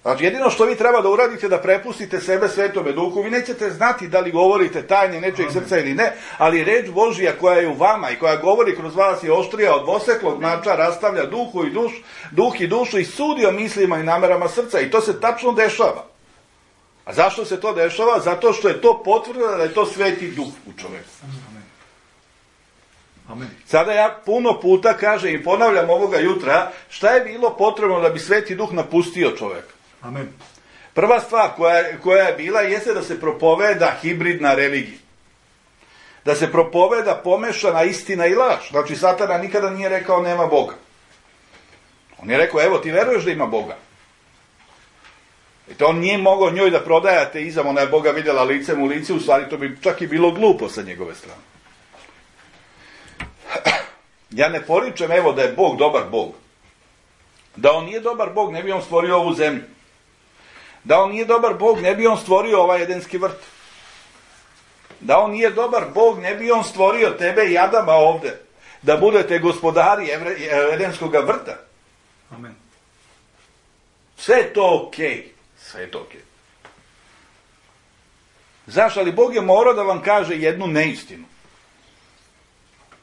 znači jedino što vi treba da uradite da prepustite sebe Svetome Duhu, vi nećete znati da li govorite tajne nečeg srca ili ne, ali reč Božja koja je u vama i koja govori kroz vas je oštrija od dvoseklog mača, rastavlja duhu i duš, duh i dušu i sudi o mislima i namerama srca i to se tačno dešava. A zašto se to dešava? Zato što je to potvrda da je to Sveti Duh u čoveku. Amen. Sada ja puno puta kažem i ponavljam ovoga jutra šta je bilo potrebno da bi Sveti Duh napustio čoveka. Amen. Prva stvar koja, koja je bila jeste da se propoveda hibridna religija. Da se propoveda pomešana istina i laž. Znači Satana nikada nije rekao nema Boga. On je rekao evo ti veruješ da ima Boga. I to on nije mogao njoj da prodaje ateizam, ona je Boga vidjela licem u lice, u stvari to bi čak i bilo glupo sa njegove strane. Ja ne poričem evo da je Bog dobar Bog. Da on nije dobar Bog, ne bi on stvorio ovu zemlju. Da on nije dobar Bog, ne bi on stvorio ovaj edenski vrt. Da on nije dobar Bog, ne bi on stvorio tebe i Adama ovde. Da budete gospodari edenskog vrta. Amen. Sve je to okej. Okay. Sve je to okej. Okay. Zašto? Ali Bog je morao da vam kaže jednu neistinu.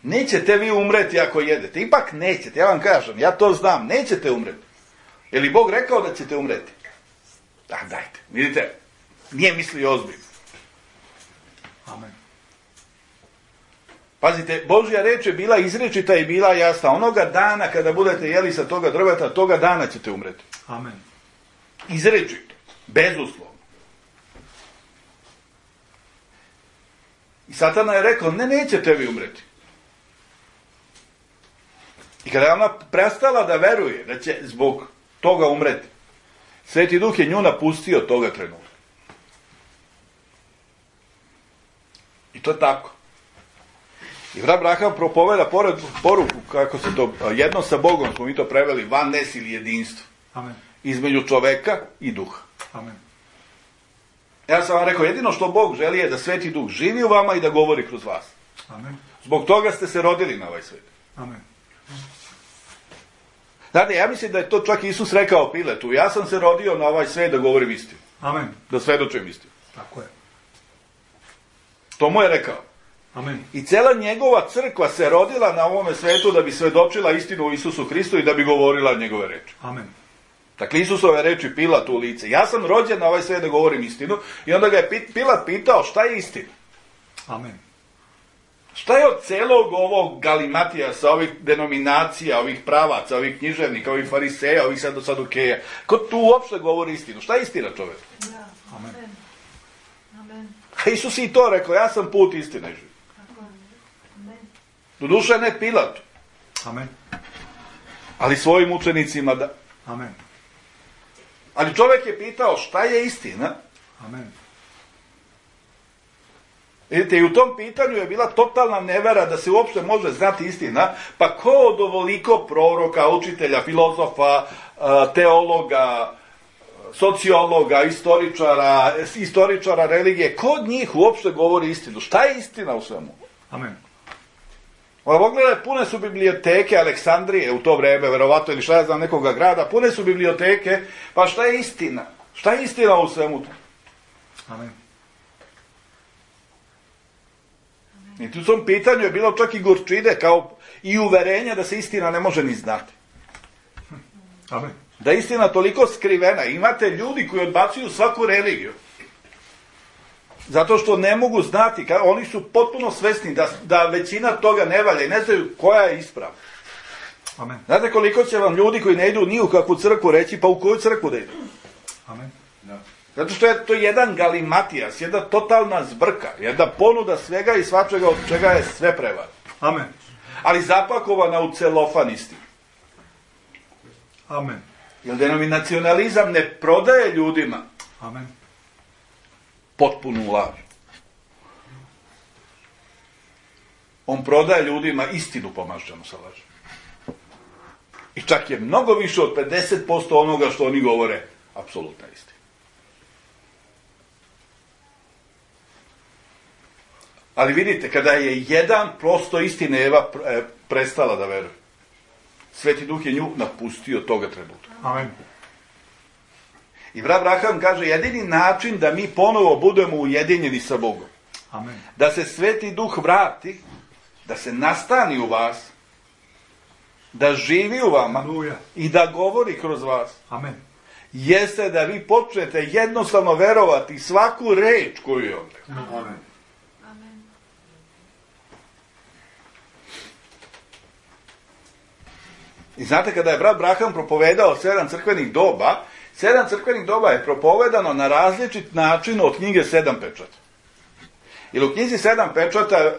Nećete vi umreti ako jedete. Ipak nećete, ja vam kažem, ja to znam, nećete umreti. Je li Bog rekao da ćete umreti? Da, dajte, vidite, nije mislio ozbiljno. Amen. Pazite, Božja reč je bila izrečita i bila jasna. Onoga dana kada budete jeli sa toga drveta, toga dana ćete umreti. Amen. Izrečito, bezuslovno. I Satana je rekao, ne, nećete vi umreti. I kada je ona prestala da veruje da će zbog toga umreti, Sveti Duh je nju napustio toga trenutka. I to je tako. I brat Braham propoveda pored poruku, kako se to, jedno sa Bogom smo mi to preveli, vannes ili jedinstvo. Amen. Između čoveka i duha. Amen. Ja sam vam rekao, jedino što Bog želi je da Sveti Duh živi u vama i da govori kroz vas. Amen. Zbog toga ste se rodili na ovaj svet. Amen. Znate, ja mislim da je to čak Isus rekao Piletu. Ja sam se rodio na ovaj svet da govorim istinu. Amen. Da svedočim istinu. Tako je. To mu je rekao. Amen. I cela njegova crkva se rodila na ovome svetu da bi svedočila istinu o Isusu Hristu i da bi govorila njegove reči. Amen. Dakle, Isusove reči Pilat u lice. Ja sam rođen na ovaj svijet da govorim istinu i onda ga je Pilat pitao šta je istina. Amen. Šta je od celog ovog galimatijasa, ovih denominacija, ovih pravaca, ovih književnika, ovih fariseja, ovih sadukeja? Ko tu uopšte govori istinu? Šta je istina, čovjek? Da. Amen. Amen. A Isus i to rekao, ja sam put istine živ. Tako je. Amen. Doduše ne Pilatu, Amen. ali svojim učenicima da. Amen. Ali čovjek je pitao šta je istina? Amen. Vidite, i u tom pitanju je bila totalna nevera da se uopšte može znati istina, pa ko od ovoliko proroka, učitelja, filozofa, teologa, sociologa, istoričara, istoričara religije, ko od njih uopšte govori istinu? Šta je istina u svemu? Amen. Ovo pogledaj, pune su biblioteke Aleksandrije u to vreme, verovatno, ili šta ja znam, nekoga grada, pune su biblioteke, pa šta je istina? Šta je istina u svemu to? Amen. I tu u tom pitanju je bilo čak i gorčine, kao i uverenja da se istina ne može ni znati. Amen. Da je istina toliko skrivena. Imate ljudi koji odbacuju svaku religiju. Zato što ne mogu znati, oni su potpuno svesni da, da većina toga ne valja i ne znaju koja je ispravna. Amen. Znate koliko će vam ljudi koji ne idu ni u kakvu crkvu reći, pa u koju crkvu da idu? Amen. Da. Zato što je to jedan galimatijas, jedna totalna zbrka, jedna ponuda svega i svačega od čega je sve prevar. Amen. Ali zapakovana u celofan istinu. Amen. Jer denominacionalizam ne prodaje ljudima Amen. potpunu laž. On prodaje ljudima istinu pomažđanu sa lažem. I čak je mnogo više od pedeset posto onoga što oni govore apsolutna istina. Ali vidite, kada je jedan prosto istine Eva prestala da veruje, Sveti Duh je nju napustio toga trenutka. Amen. I brat Abraham kaže, jedini način da mi ponovo budemo ujedinjeni sa Bogom, Amen. da se Sveti Duh vrati, da se nastani u vas, da živi u vama Aleluja. i da govori kroz vas, Amen. jeste da vi počnete jednostavno verovati svaku reč koju je on rekao. Amen. Amen. I znate, kada je brat Abraham propovedao sedam crkvenih doba, sedam crkvenih doba je propovedano na različit način od knjige Sedam pečata. Jer u knjizi Sedam pečata,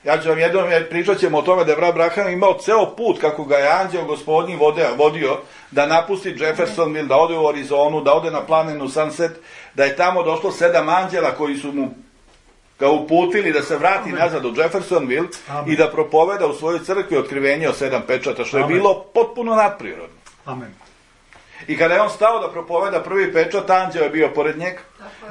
ja ću vam jednom, pričat ćemo o tome da je brat Abraham imao ceo put kako ga je anđeo gospodnji vodio da napusti Jeffersonville, da ode u Arizonu, da ode na planinu Sunset, da je tamo došlo sedam anđela koji su mu ga uputili da se vrati Amen. nazad u Jeffersonville Amen. i da propoveda u svojoj crkvi otkrivenje o sedam pečata, što je Amen. bilo potpuno nadprirodno. Amen. I kada je on stao da propoveda prvi pečat, anđeo je bio pored njega.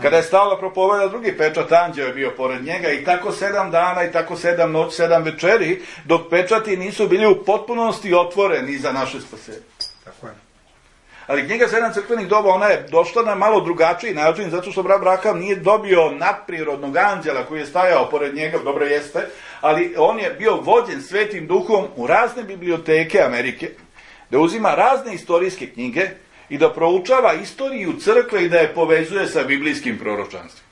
Kada je stao da propoveda drugi pečat, anđeo je bio pored njega. I tako sedam dana, i tako sedam noći, sedam večeri, dok pečati nisu bili u potpunosti otvoreni za naše spasenje. Tako je. Ali knjiga Sedam crkvenih doba, ona je došla na malo drugačiji način, zato što brat Abraham nije dobio nadprirodnog anđela koji je stajao pored njega, dobro jeste, ali on je bio vođen Svetim Duhom u razne biblioteke Amerike, da uzima razne istorijske knjige i da proučava istoriju crkve i da je povezuje sa biblijskim proročanstvom.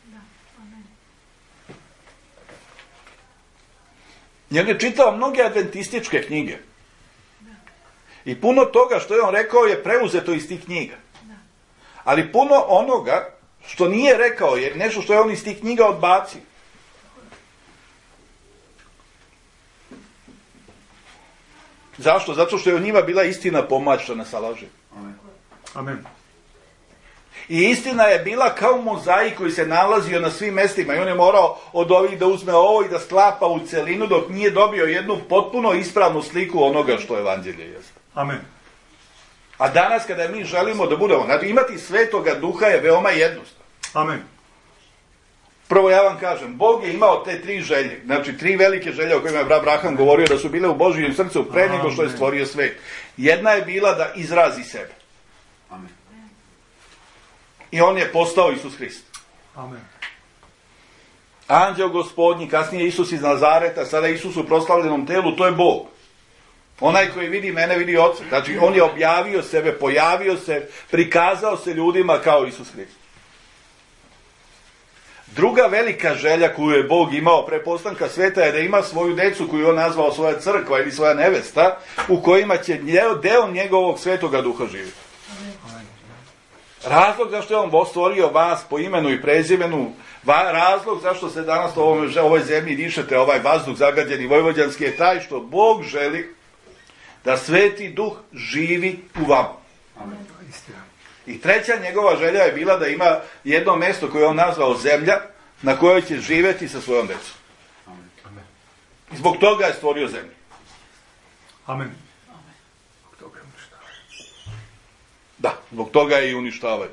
I on je čitao mnoge adventističke knjige. I puno toga što je on rekao je preuzeto iz tih knjiga. Ali puno onoga što nije rekao je nešto što je on iz tih knjiga odbacio. Zašto? Zato što je u njima bila istina pomačana sa lažem. Amen. I istina je bila kao mozaik koji se nalazio na svim mestima i on je morao od ovih da uzme ovo i da sklapa u celinu dok nije dobio jednu potpuno ispravnu sliku onoga što evanđelje jeste. Amen. A danas kada mi želimo da budemo, znači imati Svetoga Duha je veoma jednostavno. Amen. Prvo ja vam kažem, Bog je imao te tri želje, znači tri velike želje o kojima je brat Abraham govorio da su bile u Božijem srcu pre nego što je stvorio svet. Jedna je bila da izrazi sebe. Amen. I on je postao Isus Hrist. Amen. Anđeo Gospodnji, kasnije Isus iz Nazareta, sada Isus u proslavljenom telu, to je Bog. Onaj koji vidi mene, vidi Oca. Znači, on je objavio sebe, pojavio se, prikazao se ljudima kao Isus Hrist. Druga velika želja koju je Bog imao pre postanka sveta je da ima svoju decu koju on nazvao svoja crkva ili svoja nevesta, u kojima će deo njegovog svetoga duha živjeti. Razlog zašto je on stvorio vas po imenu i prezimenu, razlog zašto se danas u ovoj, ovoj zemlji dišete ovaj vazduh zagađeni vojvođanski je taj što Bog želi da sveti duh živi u vama. Amen. I treća njegova želja je bila da ima jedno mjesto koje je on nazvao zemlja, na kojoj će živjeti sa svojom decom. I zbog toga je stvorio zemlju. Amen. Da, zbog toga je i uništavaju.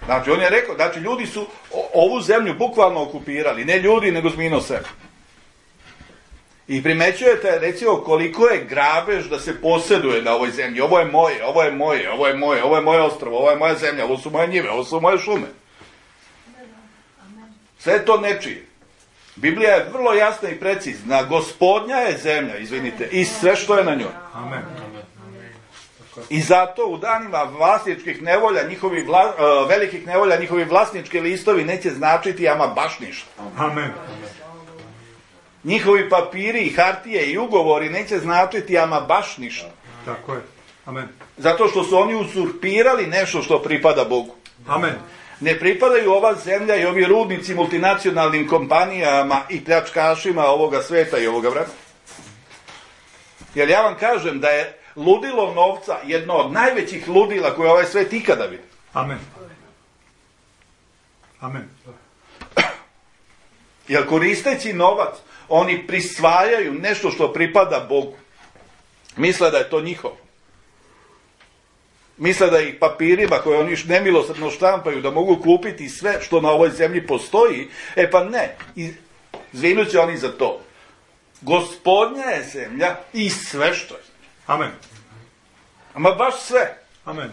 Znači, on je rekao, znači, ljudi su ovu zemlju bukvalno okupirali, ne ljudi, nego zmino sebe. I primećujete, recimo, koliko je grabež da se posjeduje na ovoj zemlji. Ovo je moje, ovo je moje, ovo je moje, ovo je moje ostrvo, ovo je moja zemlja, ovo su moje njive, ovo su moje šume. Sve to nečije. Biblija je vrlo jasna i precizna. Gospodnja je zemlja, izvinite, i sve što je na njoj. Amen. I zato u danima vlasničkih nevolja, njihovi vla, uh, velikih nevolja, njihovi vlasnički listovi neće značiti ama baš ništa. Amen. Njihovi papiri i hartije i ugovori neće značiti ama baš ništa. Tako je. Amen. Zato što su oni uzurpirali nešto što pripada Bogu. Amen. Ne pripadaju ova zemlja i ovi rudnici multinacionalnim kompanijama i pljačkašima ovoga sveta i ovoga vremena. Jer ja vam kažem da je ludilo novca jedno od najvećih ludila koje ovaj svet ikada vidi. Amen. Amen. Jer koristeći novac, oni prisvajaju nešto što pripada Bogu. Misle da je to njihovo. Misle da ih papirima koje oni nemilosrdno štampaju da mogu kupiti sve što na ovoj zemlji postoji. E pa ne, izvinut će oni za to. Gospodnja je zemlja i sve što je. Amen. Ama baš sve. Amen.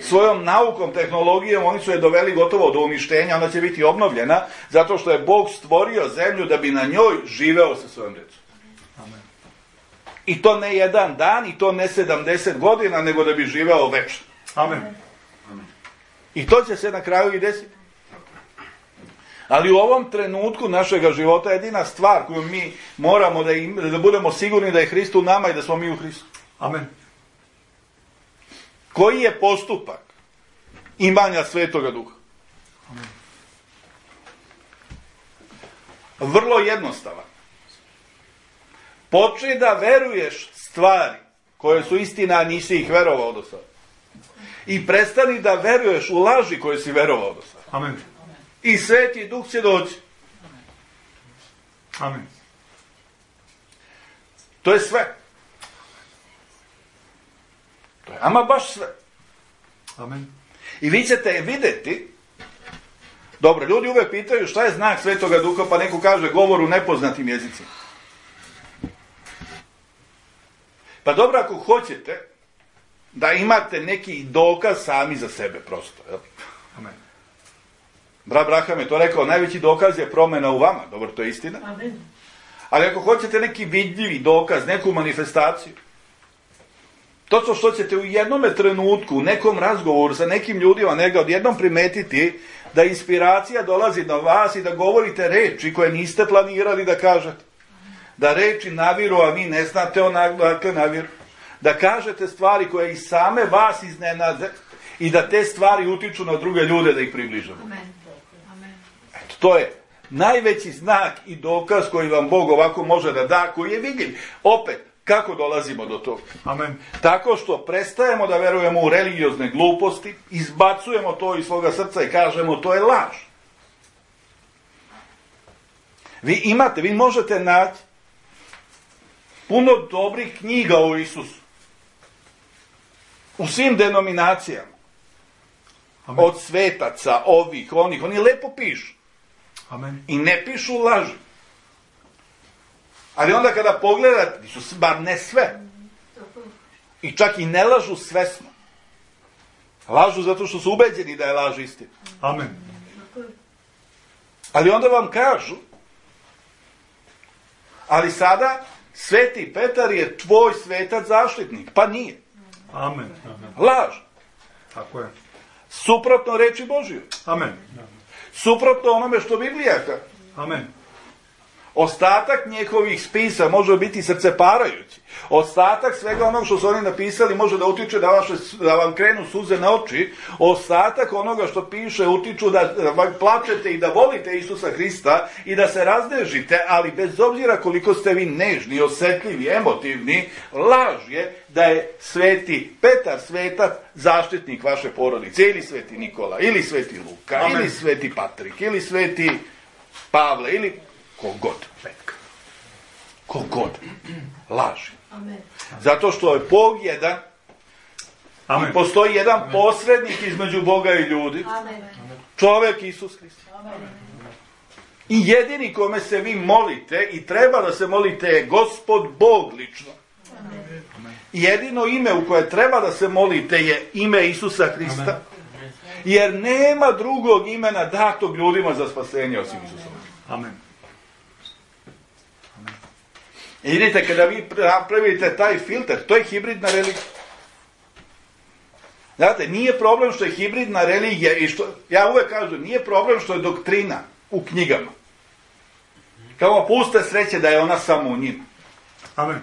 Svojom naukom, tehnologijom, oni su je doveli gotovo do uništenja, ona će biti obnovljena, zato što je Bog stvorio zemlju da bi na njoj živeo sa svojom djecom. Amen. I to ne jedan dan, i to ne sedamdeset godina, nego da bi živeo večno. Amen. I to će se na kraju i desiti. Ali u ovom trenutku našega života jedina stvar koju mi moramo da, im, da budemo sigurni da je Hrist u nama i da smo mi u Hristu. Amen. Koji je postupak imanja Svetoga Duha? Amen. Vrlo jednostavan. Počni da veruješ stvari koje su istina, a nisi ih verovao do sada. I prestani da veruješ u laži koje si verovao do sada. Amen. I Sveti Duh će doći. Amen. To je sve. To je ama baš sve. Amen. I vi ćete vidjeti, dobro, ljudi uvek pitaju šta je znak Svetoga Duha, pa neko kaže govor u nepoznatim jezicima. Pa dobro, ako hoćete da imate neki dokaz sami za sebe, prosto. Jel? Amen. Brat Braham je to rekao, najveći dokaz je promjena u vama. Dobro, to je istina. Amen. Ali ako hoćete neki vidljivi dokaz, neku manifestaciju, to što ćete u jednome trenutku, u nekom razgovoru sa nekim ljudima, nega odjednom primetiti da inspiracija dolazi na vas i da govorite reči koje niste planirali da kažete. Da reči naviru, a vi ne znate onakle naviru. Da kažete stvari koje i same vas iznenade i da te stvari utiču na druge ljude da ih približamo. Amen. Amen. Eto, to je najveći znak i dokaz koji vam Bog ovako može da da, koji je vidljiv. Opet, kako dolazimo do toga? Amen. Tako što prestajemo da verujemo u religiozne gluposti, izbacujemo to iz svoga srca i kažemo to je laž. Vi imate, vi možete naći puno dobrih knjiga o Isusu. U svim denominacijama. Amen. Od svetaca, ovih, onih, oni lepo pišu. Amen. I ne pišu laži. Ali onda kada pogledate, su bar ne sve. I čak i ne lažu svesno. Lažu zato što su ubeđeni da je laž istina. Amen. Ali onda vam kažu, ali sada Sveti Petar je tvoj svetac zaštitnik. Pa nije. Amen. Laž. Tako je. Suprotno reči Božjoj. Amen. Suprotno onome što Biblija kaže. Amen. Ostatak njihovih spisa može biti srceparajući. Ostatak svega onog što su oni napisali može da utiče da, vaše, da vam krenu suze na oči. Ostatak onoga što piše utiču da, da plačete i da volite Isusa Hrista i da se raznežite, ali bez obzira koliko ste vi nežni, osjetljivi, emotivni, laž je da je Sveti Petar svetac zaštitnik vaše porodice, ili Sveti Nikola, ili Sveti Luka, Amen. Ili Sveti Patrik, ili Sveti Pavle, ili kogod. Kogod. Laži. Amen. Zato što je Bog jedan. Amen. I postoji jedan posrednik između Boga i ljudi. Amen. Čovjek Isus Hrist. I jedini kome se vi molite i treba da se molite je Gospod Bog lično. Amen. Jedino ime u koje treba da se molite je ime Isusa Hrista. Amen. Jer nema drugog imena datog ljudima za spasenje osim Isusa. Amen. I vidite, kada vi napravite taj filter, to je hibridna religija. Znate, nije problem što je hibridna religija i što, ja uvek kažem, nije problem što je doktrina u knjigama. Kao puste sreće da je ona samo u njima. Amen.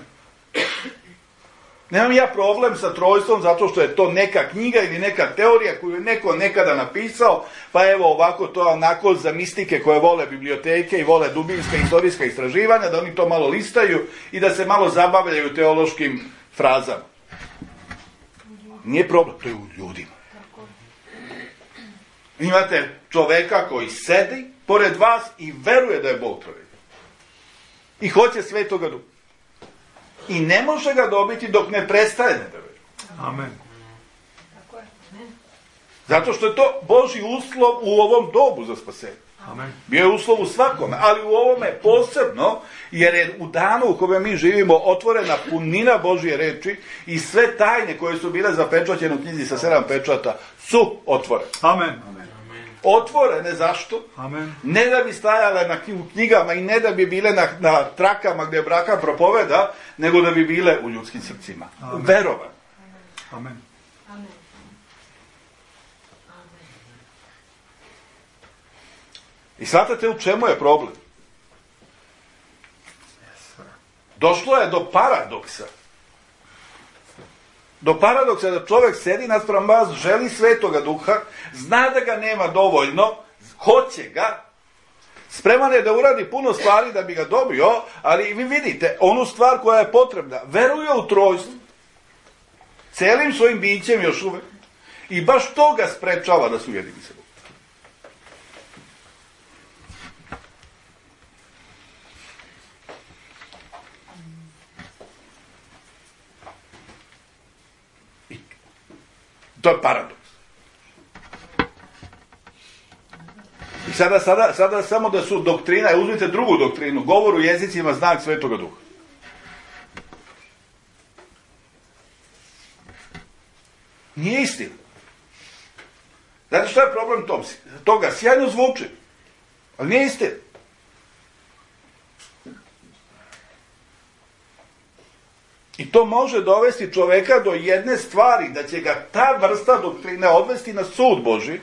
Nemam ja problem sa trojstvom zato što je to neka knjiga ili neka teorija koju je neko nekada napisao, pa evo ovako to onako za mistike koje vole biblioteke i vole dubinska istorijska istraživanja, da oni to malo listaju i da se malo zabavljaju teološkim frazama. Nije problem, to je u ljudima. Imate čoveka koji sedi pored vas i veruje da je Bog trojni. I hoće Svetoga Duha. I ne može ga dobiti dok ne prestane da veruje. Amen. Zato što je to Božji uslov u ovom dobu za spasenje. Amen. Bio je uslov u svakome, ali u ovome posebno, jer je u danu u kome mi živimo otvorena punina Božje reči i sve tajne koje su bile zapečaćene u knjizi sa sedam pečata su otvorene. Amen. Otvorene zašto? Amen. Ne da bi stajale na knjigama i ne da bi bile na, na trakama gdje braka propoveda, nego da bi bile u ljudskim srcima. Amen. Verovan. Amen. Amen. I shvatate u čemu je problem? Došlo je do paradoksa. Do paradoksa da čovjek sedi naspram vas, želi Svetoga Duha, zna da ga nema dovoljno, hoće ga, spreman je da uradi puno stvari da bi ga dobio, ali vi vidite, onu stvar koja je potrebna, veruje u trojstvo, celim svojim bićem još uvek, i baš to ga sprečava da se ujedini sa Bogom. To je paradoks. I sada, sada, sada samo da su doktrina, uzmite drugu doktrinu, govor u jezicima znak Svetoga Duha. Nije istina. Znate što je problem tom, toga? Sjajno zvuči, ali nije istina. I to može dovesti čoveka do jedne stvari, da će ga ta vrsta doktrine odvesti na sud Božji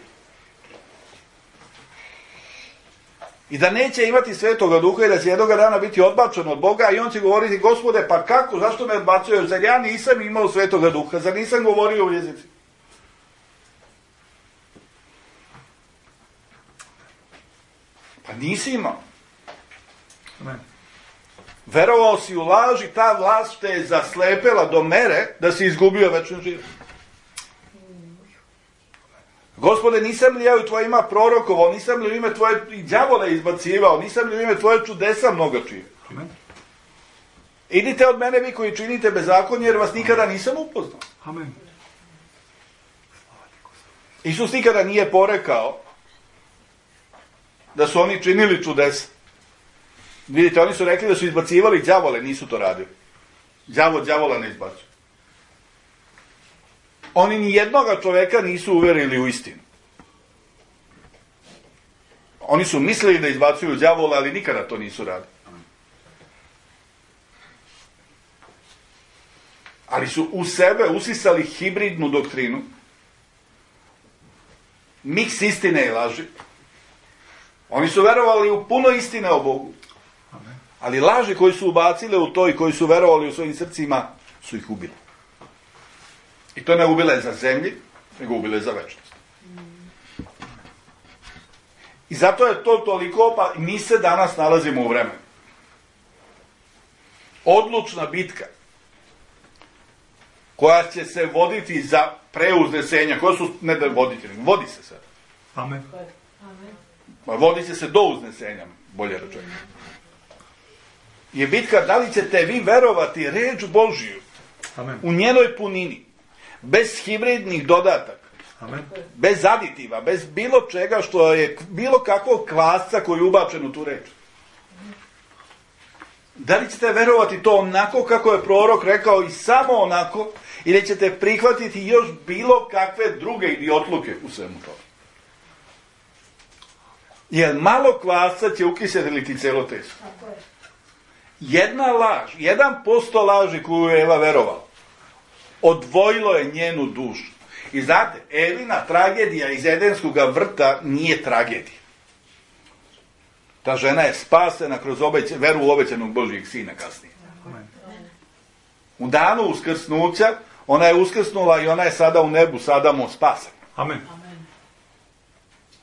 i da neće imati Svetoga Duha i da će jednoga dana biti odbačen od Boga i on će govoriti, Gospode, pa kako, zašto me odbacuješ, zar ja nisam imao Svetoga Duha, zar nisam govorio u jezici? Pa nisi imao. Amen. Verovao si u laž i ta vlast te je zaslepela do mere da si izgubio večni život. Gospode, nisam li ja u tvojima prorokovao, nisam li u ime tvoje đavole izbacivao, nisam li u ime tvoje čudesa mnogo činio. Amen. Idite od mene vi koji činite bezakonje, jer vas nikada nisam upoznao. Amen. Isus nikada nije porekao da su oni činili čudesa. Vidite, oni su rekli da su izbacivali đavole, nisu to radili. Đavo đavola ne izbacuje. Oni ni jednoga čoveka nisu uverili u istinu. Oni su mislili da izbacuju đavola, ali nikada to nisu radili. Ali su u sebe usisali hibridnu doktrinu, miks istine i laži. Oni su verovali u puno istine o Bogu. Ali laži koji su ubacile u to i koji su verovali u svojim srcima, su ih ubili. I to ne ubile za zemlji, nego ubile za večnost. I zato je to toliko, pa mi se danas nalazimo u vremenu. Odlučna bitka koja će se voditi za preuznesenja, koja su, ne da voditi, vodi se sad. Amen. Vodi će se do uznesenja, bolje rečeno. Je bitka da li ćete vi verovati reč Božiju Amen. u njenoj punini, bez hibridnih dodataka, Amen. bez aditiva, bez bilo čega što je, bilo kakvog kvasca koji je ubačen u tu reč. Da li ćete verovati to onako kako je prorok rekao i samo onako, ili ćete prihvatiti još bilo kakve druge idiotluke u svemu tome? Jer malo kvasca će ukiseliti celo testo. Jedna laž, jedan posto laži koju je Eva verovala, odvojilo je njenu dušu. I znate, Evina tragedija iz Edenskog vrta nije tragedija. Ta žena je spasena kroz obeć, veru u obećanog Božijeg sina kasnije. Amen. U danu uskrsnuća, ona je uskrsnula i ona je sada u nebu, sada mu spasena. Amen.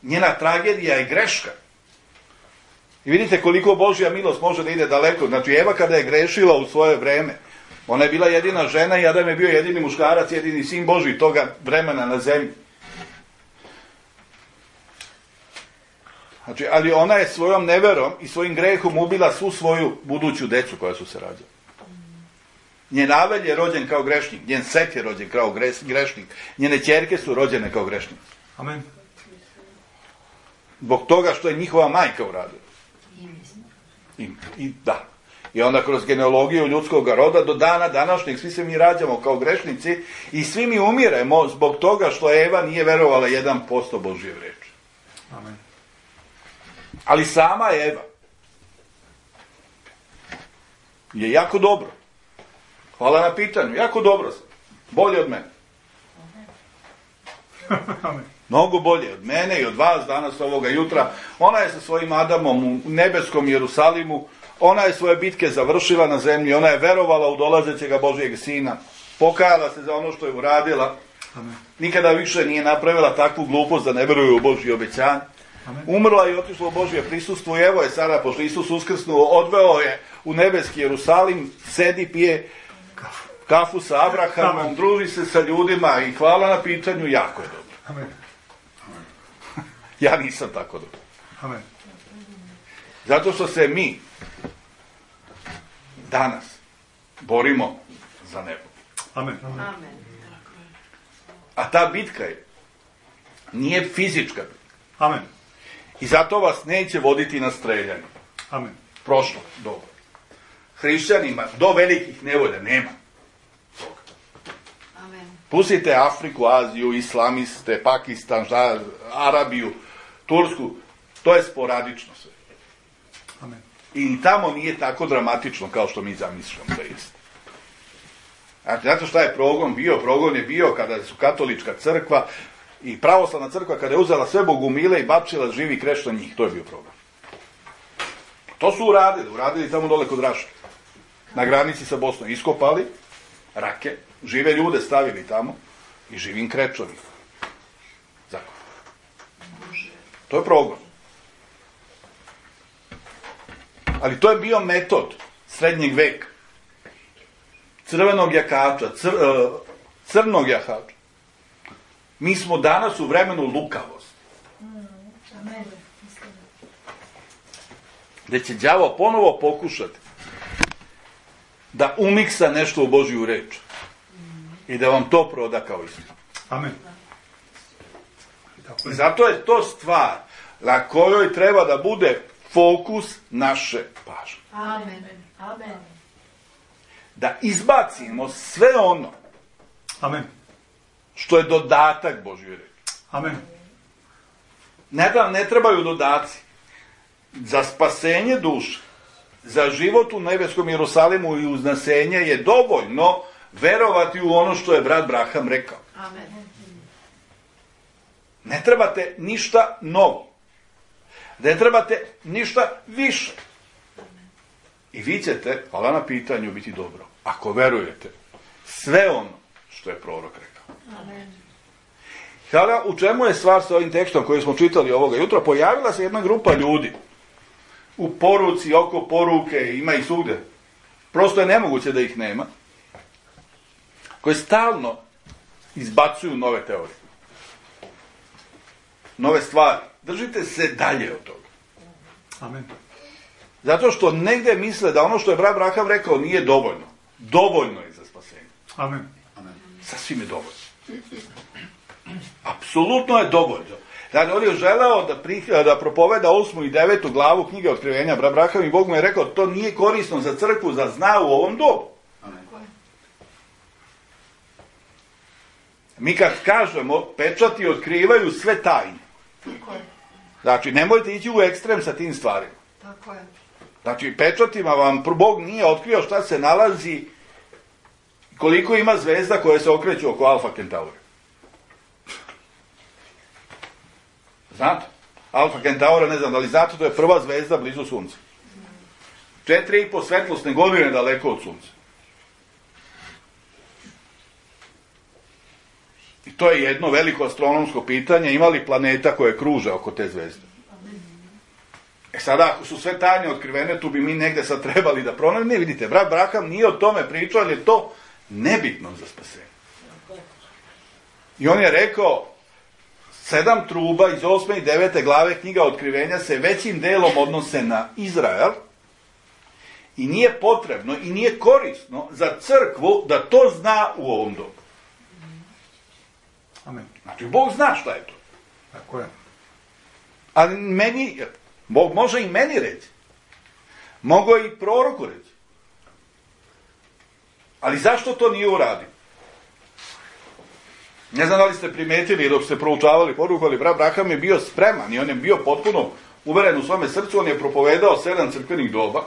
Njena tragedija je greška. I vidite koliko Božja milost može da ide daleko. Znači, Eva kada je grešila u svoje vreme, ona je bila jedina žena i Adam je bio jedini muškarac, jedini sin Božji toga vremena na zemlji. Znači, ali ona je svojom neverom i svojim grehom ubila svu svoju buduću decu koja su se rađala. Njen Avelj je rođen kao grešnik, njen Set je rođen kao grešnik, njene ćerke su rođene kao grešnici. Amen. Zbog toga što je njihova majka uradila. I, i da. I onda kroz genealogiju ljudskog roda do dana današnjeg svi se mi rađamo kao grešnici i svi mi umiremo zbog toga što Eva nije verovala jedan posto Božje reči. Amen. Ali sama Eva je jako dobro. Hvala na pitanju. Jako dobro sam. Bolje od mene. Amen. Mnogo bolje od mene i od vas danas ovoga jutra. Ona je sa svojim Adamom u nebeskom Jerusalimu. Ona je svoje bitke završila na zemlji. Ona je verovala u dolazećega Božijeg sina. Pokajala se za ono što je uradila. Amen. Nikada više nije napravila takvu glupost da ne veruje u Božje obećanje. Amen. Umrla i otišla u Božje prisustvo i evo je sada, pošto Isus uskrsnuo, odveo je u nebeski Jerusalim, sedi, pije kafu sa Abrahamom, Amen. druži se sa ljudima i hvala na pitanju, jako je dobro. Amen. Ja nisam tako dobro. Amen. Zato što se mi danas borimo za nebo. Amen. A ta bitka je, nije fizička bitka. Amen. I zato vas neće voditi na streljanje. Amen. Prošlo, dobro. Hrišćanima do velikih nevolja nema. Amen. Pustite Afriku, Aziju, islamiste, Pakistan, ža, Arabiju, Tursku, to je sporadično sve. Amen. I tamo nije tako dramatično kao što mi zamišljamo da jeste. Znači, znate šta je progon bio? Progon je bio kada su katolička crkva i pravoslavna crkva kada je uzela sve bogumile i bacila živi kreš na njih. To je bio progon. To su uradili. Uradili tamo dole kod Raške. Na granici sa Bosnom. Iskopali rake, žive ljude stavili tamo i živim krečovima. Zakon. To je progon. Ali to je bio metod srednjeg veka. Crvenog jakača, cr, crnog jahača. Mi smo danas u vremenu lukavosti. Amen. Gde će đavo ponovo pokušati da umiksa nešto u Božju reč. I da vam to proda kao istinu. Amen. Tako I je. zato je to stvar na kojoj treba da bude fokus naše pažnje. Amen. Amen. Da izbacimo sve ono Amen. što je dodatak Božjoj reči. Amen. Ne, da, ne trebaju dodaci. Za spasenje duše, za život u nebeskom Jerusalimu i uznasenje je dovoljno verovati u ono što je brat Braham rekao. Amen. Ne trebate ništa novo. Ne trebate ništa više. I vi ćete, hvala na pitanju, biti dobro. Ako verujete sve ono što je prorok rekao. Amen. Sada, u čemu je stvar sa ovim tekstom koji smo čitali ovoga jutra? Pojavila se jedna grupa ljudi u poruci, oko poruke, ima ih svugde. Prosto je nemoguće da ih nema. Koje stalno izbacuju nove teorije. Nove stvari. Držite se dalje od toga. Amen. Zato što negde misle da ono što je brat Braham rekao nije dovoljno. Dovoljno je za spasenje. Amen. Sasvim je dovoljno. Apsolutno je dovoljno. Znači, on je želeo da, pri, da propoveda osmu i devetu glavu knjige Otkrivenja brat Braham i Bog mu je rekao to nije korisno za crkvu, za zna u ovom dobu. Mi kad kažemo, pečati otkrivaju sve tajne. Tako je. Znači, nemojte ići u ekstrem sa tim stvarima. Tako je. Znači, pečatima vam Bog nije otkrio šta se nalazi, koliko ima zvezda koje se okreću oko Alfa Kentaura. Znate? Alfa Kentaura, ne znam da li znate, to je prva zvezda blizu Sunca. Četiri i po svetlosne godine daleko od Sunca. I to je jedno veliko astronomsko pitanje, ima li planeta koje kruže oko te zvezde? E sada, ako su sve tajne otkrivene, tu bi mi negde sad trebali da pronađemo. Ne, vidite, brat Braham nije o tome pričao, ali je to nebitno za spasenje. I on je rekao, sedam truba iz osme i devete glave knjiga Otkrivenja se većim delom odnose na Izrael i nije potrebno i nije korisno za crkvu da to zna u ovom dobu. Amen. Znači, Bog zna šta je to. Tako je. Ali meni, Bog može i meni reći. Mogo i proroku reći. Ali zašto to nije uradio? Ne znam da li ste primetili dok ste proučavali poruku, ali brat Braham je bio spreman i on je bio potpuno uveren u svome srcu, on je propovedao sedam crkvenih doba,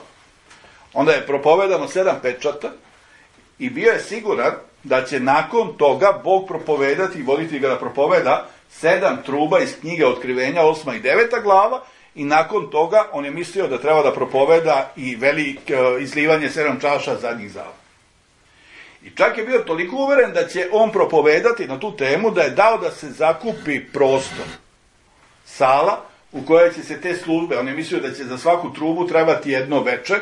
onda je propovedano sedam pečata i bio je siguran da će nakon toga Bog propovedati i voditi ga da propoveda sedam truba iz knjige Otkrivenja, osma i deveta glava, i nakon toga on je mislio da treba da propoveda i veliko izlivanje sedam čaša zadnjih zala. I čak je bio toliko uveren da će on propovedati na tu temu da je dao da se zakupi prostor, sala u kojoj će se te službe, on je mislio da će za svaku trubu trebati jedno veče,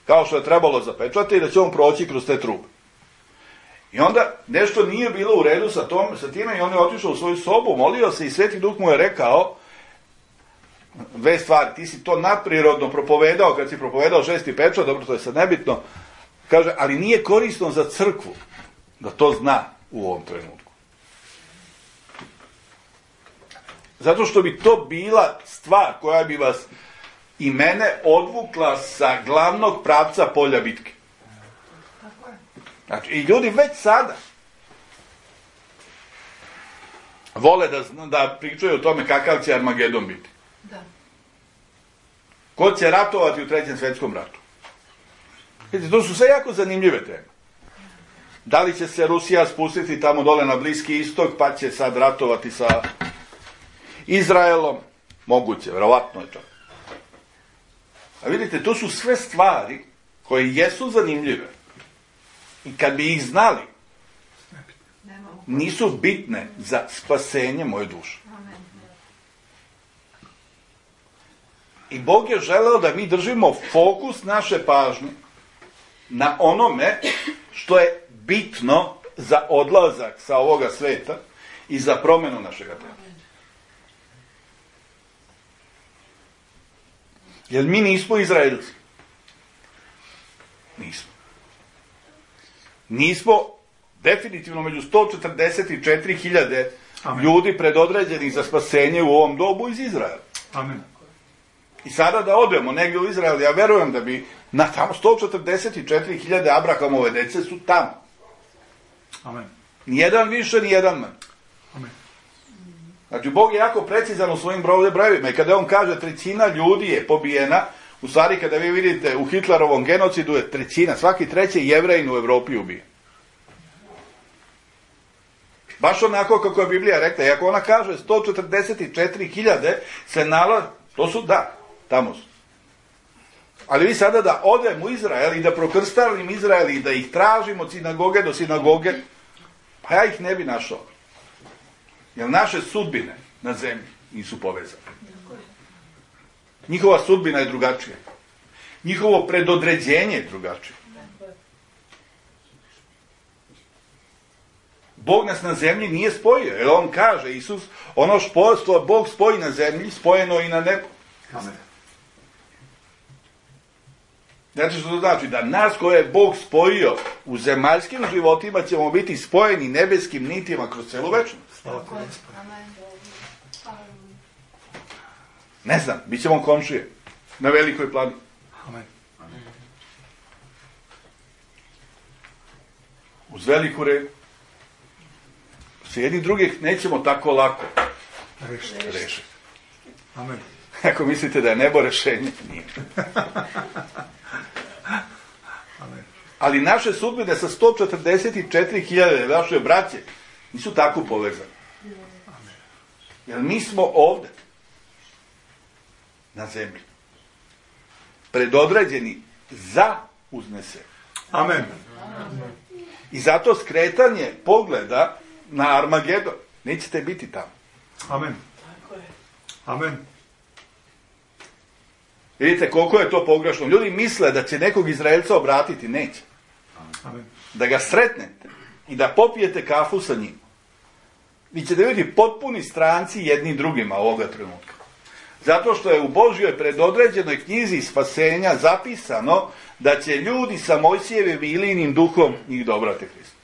kao što je trebalo za pečate, i da će on proći kroz te trube. I onda nešto nije bilo u redu sa, tom, sa time i on je otišao u svoju sobu, molio se i Sveti Duh mu je rekao dve stvari, ti si to nadprirodno propovedao kad si propovedao šesti pečat, dobro, to je sad nebitno, kaže, ali nije korisno za crkvu da to zna u ovom trenutku. Zato što bi to bila stvar koja bi vas i mene odvukla sa glavnog pravca polja bitke. Tako je. Znači, i ljudi već sada vole da, da pričaju o tome kakav će Armagedon biti. Da. Ko će ratovati u trećem svetskom ratu? Vidite, to su sve jako zanimljive teme. Da li će se Rusija spustiti tamo dole na Bliski istok, pa će sad ratovati sa Izraelom? Moguće, verovatno je to. A vidite, to su sve stvari koje jesu zanimljive. I kad bi ih znali, nisu bitne za spasenje moje duše. I Bog je želeo da mi držimo fokus naše pažnje na onome što je bitno za odlazak sa ovoga sveta i za promjenu našega tela. Jer mi nismo Izraelci. Nismo. Nismo definitivno među sto četrdeset četiri hiljade ljudi predodređenih za spasenje u ovom dobu iz Izraela. Amen. I sada da odemo negdje u Izrael, ja verujem da bi na tamo sto četrdeset četiri hiljade Abrahamove dece su tamo. Amen. Nijedan više, nijedan manje. Amen. Znači, Bog je jako precizan u svojim brojevima i kada on kaže trećina ljudi je pobijena, u stvari kada vi vidite u Hitlerovom genocidu je trećina, svaki treći Jevrejin u Evropi ubije. Baš onako kako je Biblija rekla, i ako ona kaže sto četrdeset četiri hiljade se nalazi, to su da, tamo su. Ali vi sada da odem u Izrael i da prokrstalim Izrael i da ih tražim od sinagoge do sinagoge, pa ja ih ne bi našao. Jer naše sudbine na zemlji nisu povezane. Njihova sudbina je drugačija. Njihovo predodređenje je drugačije. Bog nas na zemlji nije spojio. Jer on kaže, Isus, ono što Bog spoji na zemlji, spojeno i na nebu. Amen. Znači što to znači? Da nas koje je Bog spojio u zemaljskim životima ćemo biti spojeni nebeskim nitima kroz celu večnost. Slava ti, Gospode. Ne znam, bit ćemo komšije na velikoj plani. Amen. Uz veliku reku. S jednih drugih nećemo tako lako Rešite. rešiti. Amen. Ako mislite da je nebo rešenje, nije. Amen. Ali naše sudbine sa sto četrdeset četiri hiljade naše braće nisu tako povezane. Jer mi smo ovde, na zemlji, predodređeni za uznesenje. Amen. I zato skretanje pogleda na Armagedon, nećete biti tamo. Amen. Amen. Vidite koliko je to pogrešno. Ljudi misle da će nekog Izraelca obratiti, neće. Amen. Da ga sretnete i da popijete kafu sa njim. Vi ćete vidjeti potpuni stranci jedni drugima ovoga trenutka. Zato što je u Božjoj predodređenoj knjizi spasenja zapisano da će ljudi sa Mojsijevim i Ilijinim duhom njih dobrate Hristu.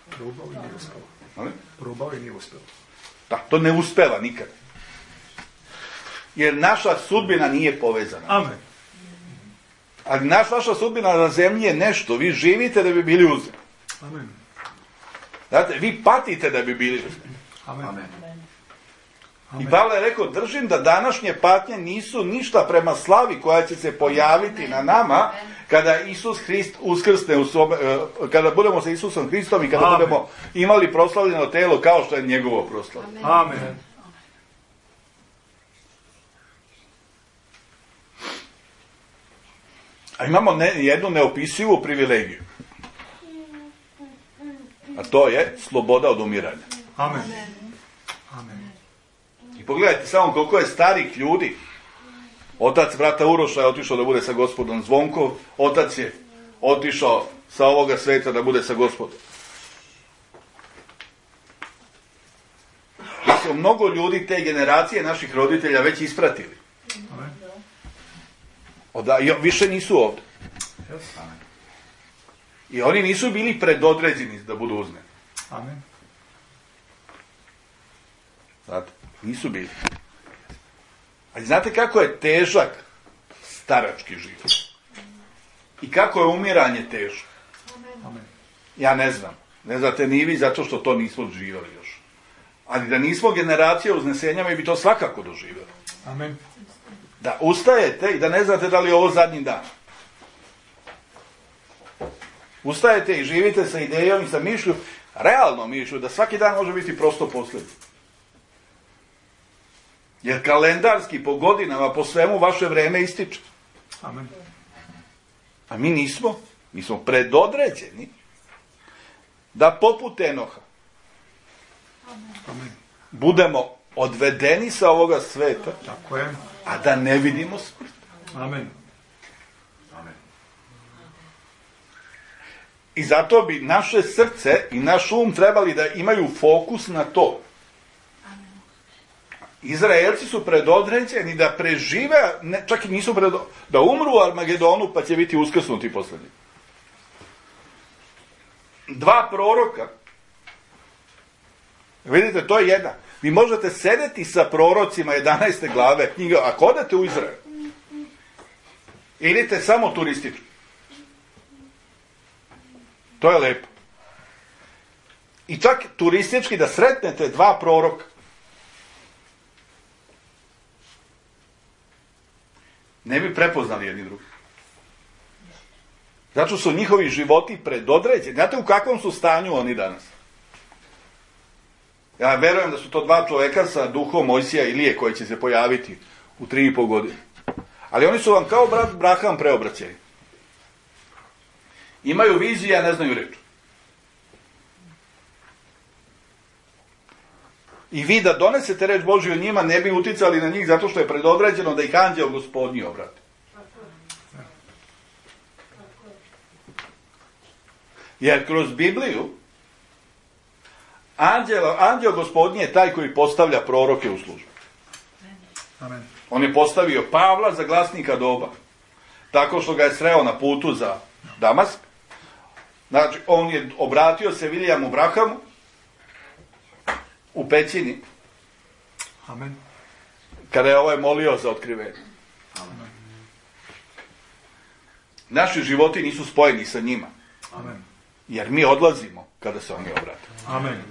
Probao i nije uspelo. Ali? Probao i nije uspelo. Da, to ne uspeva nikad. Jer naša sudbina nije povezana. Amen. Ali naš, naša sudbina na zemlji je nešto. Vi živite da bi bili uzeti. Amen. Znate, vi patite da bi bili uzeti. Amen. Amen. I Pavle je rekao, držim da današnje patnje nisu ništa prema slavi koja će se pojaviti na nama kada Isus Hrist uskrsne u svome, kada budemo sa Isusom Hristom i kada Amen. budemo imali proslavljeno telo kao što je njegovo proslavljeno. Amen. A imamo ne, jednu neopisivu privilegiju. A to je sloboda od umiranja. Amen. Amen. I pogledajte samo koliko je starih ljudi. Otac brata Uroša je otišao da bude sa gospodom Zvonkov. Otac je otišao sa ovoga sveta da bude sa gospodom. Da su mnogo ljudi te generacije naših roditelja već ispratili. Amen. Oda, i više nisu ovdje. Yes. Amen. I oni nisu bili predodređeni da budu uzmeni. Amen. Znate, nisu bili. Ali znate kako je težak starački život? I kako je umiranje teško? Amen. Ja ne znam. Ne znate ni vi zato što to nismo doživjeli još. Ali da nismo generacija uznesenja, mi bi to svakako doživjeli. Amen. Da ustajete i da ne znate da li je ovo zadnji dan. Ustajete i živite sa idejom i sa mišlju, realno mišlju, da svaki dan može biti prosto posljednji. Jer kalendarski po godinama, po svemu, vaše vreme ističe. Amen. A mi nismo. Mi smo predodređeni da poput Enoha Amen. budemo odvedeni sa ovoga sveta, Tako je. a da ne vidimo smrt. Amen. Amen. I zato bi naše srce i naš um trebali da imaju fokus na to. Izraelci su predodređeni da prežive, ne, čak i nisu predodređeni, da umru u Armagedonu pa će biti uskrsnuti posljednji. Dva proroka, vidite, to je jedna. Vi možete sedeti sa prorocima jedanaeste glave knjiga, ako odete u Izrael, idite samo turistički. To je lepo. I čak turistički da sretnete dva proroka. Ne bi prepoznali jedni drugi. Zato su njihovi životi predodređeni. Znate u kakvom su stanju oni danas? Ja verujem da su to dva čoveka sa duhom Mojsija i Ilije koji će se pojaviti u tri i po godine. Ali oni su vam kao brat Braham preobraćeni. Imaju viziju, a ne znaju reč. I vi da donesete reč Božju njima, ne bi uticali na njih zato što je predodređeno da ih anđeo Gospodnji obrati. Jer kroz Bibliju anđeo, anđeo Gospodnji je taj koji postavlja proroke u službu. Amen. On je postavio Pavla za glasnika doba. Tako što ga je sreo na putu za Damask. Znači, on je obratio se Viljamu Brahamu u pećini. Amen. Kada je ovaj molio za otkrivenje. Amen. Naši životi nisu spojeni sa njima. Amen. Jer mi odlazimo kada se oni obrate. Amen.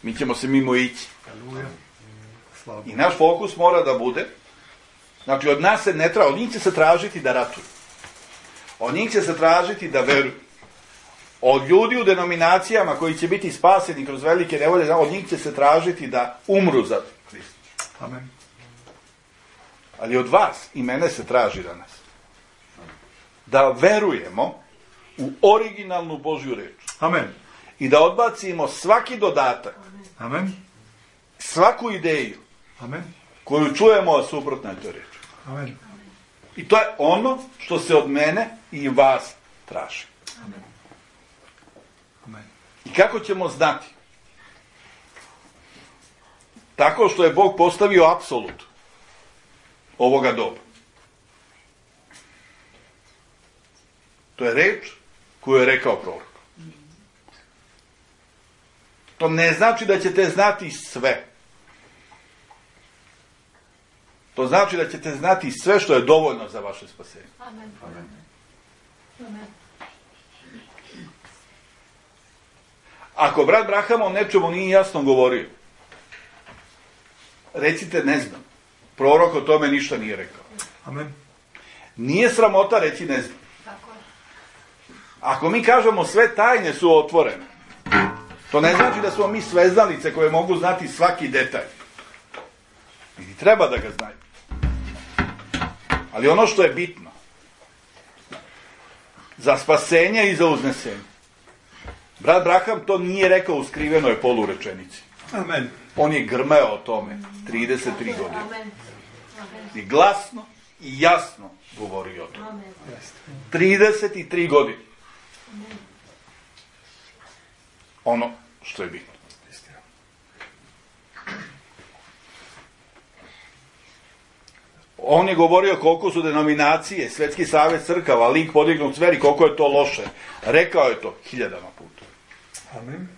Mi ćemo se mimo ići. Aleluja. Slava. I naš fokus mora da bude, znači od nas se ne traži, od njih će se tražiti da ratuju. Od njih će se tražiti da veruju. Od ljudi u denominacijama koji će biti spaseni kroz velike nevolje, od njih će se tražiti da umru za Hrista. Amen. Ali od vas i mene se traži danas da verujemo u originalnu Božju reč. Amen. I da odbacimo svaki dodatak, Amen. svaku ideju Amen. koju čujemo, a suprotna je toj reči. Amen. I to je ono što se od mene i vas traži. Amen. Amen. I kako ćemo znati? Tako što je Bog postavio apsolut ovoga doba. To je reč koju je rekao prorok. To ne znači da ćete znati sve. To znači da ćete znati sve što je dovoljno za vaše spasenje. Amen. Amen. Amen. Ako brat Braham o nečemu nije jasno govorio, recite ne znam. Prorok o tome ništa nije rekao. Amen. Nije sramota reći ne znam. Tako je. Ako mi kažemo sve tajne su otvorene, to ne znači da smo mi sveznalice koje mogu znati svaki detalj. I treba da ga znaju. Ali ono što je bitno, za spasenje i za uznesenje. Brat Braham to nije rekao u skrivenoj polurečenici. Amen. On je grmeo o tome trideset tri godine. Amen. Amen. I glasno i jasno govorio o tome. Amen. trideset tri godine. Ono što je bitno. On je govorio koliko su denominacije, Svetski savez crkava, lik podignut zveri, koliko je to loše. Rekao je to hiljadama puta. Amen.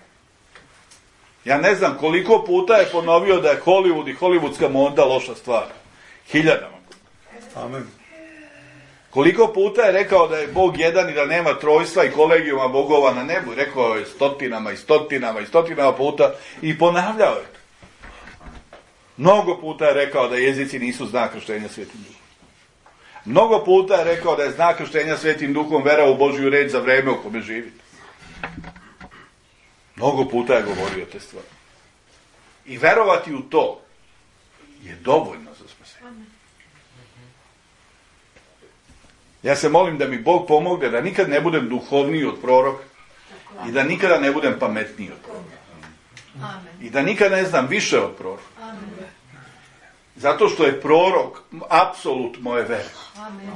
Ja ne znam koliko puta je ponovio da je Hollywood i hollywoodska moda loša stvar. Hiljadama puta. Amen. Koliko puta je rekao da je Bog jedan i da nema trojstva i kolegijuma bogova na nebu. Rekao je stotinama i stotinama i stotinama puta i ponavljao je to. Mnogo puta je rekao da jezici nisu znak krštenja Svetim Duhom. Mnogo puta je rekao da je znak krštenja Svetim Duhom vera u Božju reč za vreme u kome živite. Mnogo puta je govorio te stvari. I verovati u to je dovoljno za spasenje. Ja se molim da mi Bog pomogne da nikad ne budem duhovniji od proroka i da nikada ne budem pametniji od proroka. Amen. I da nikad ne znam više od proroka. Amen. Zato što je prorok apsolut moje vere. Amen.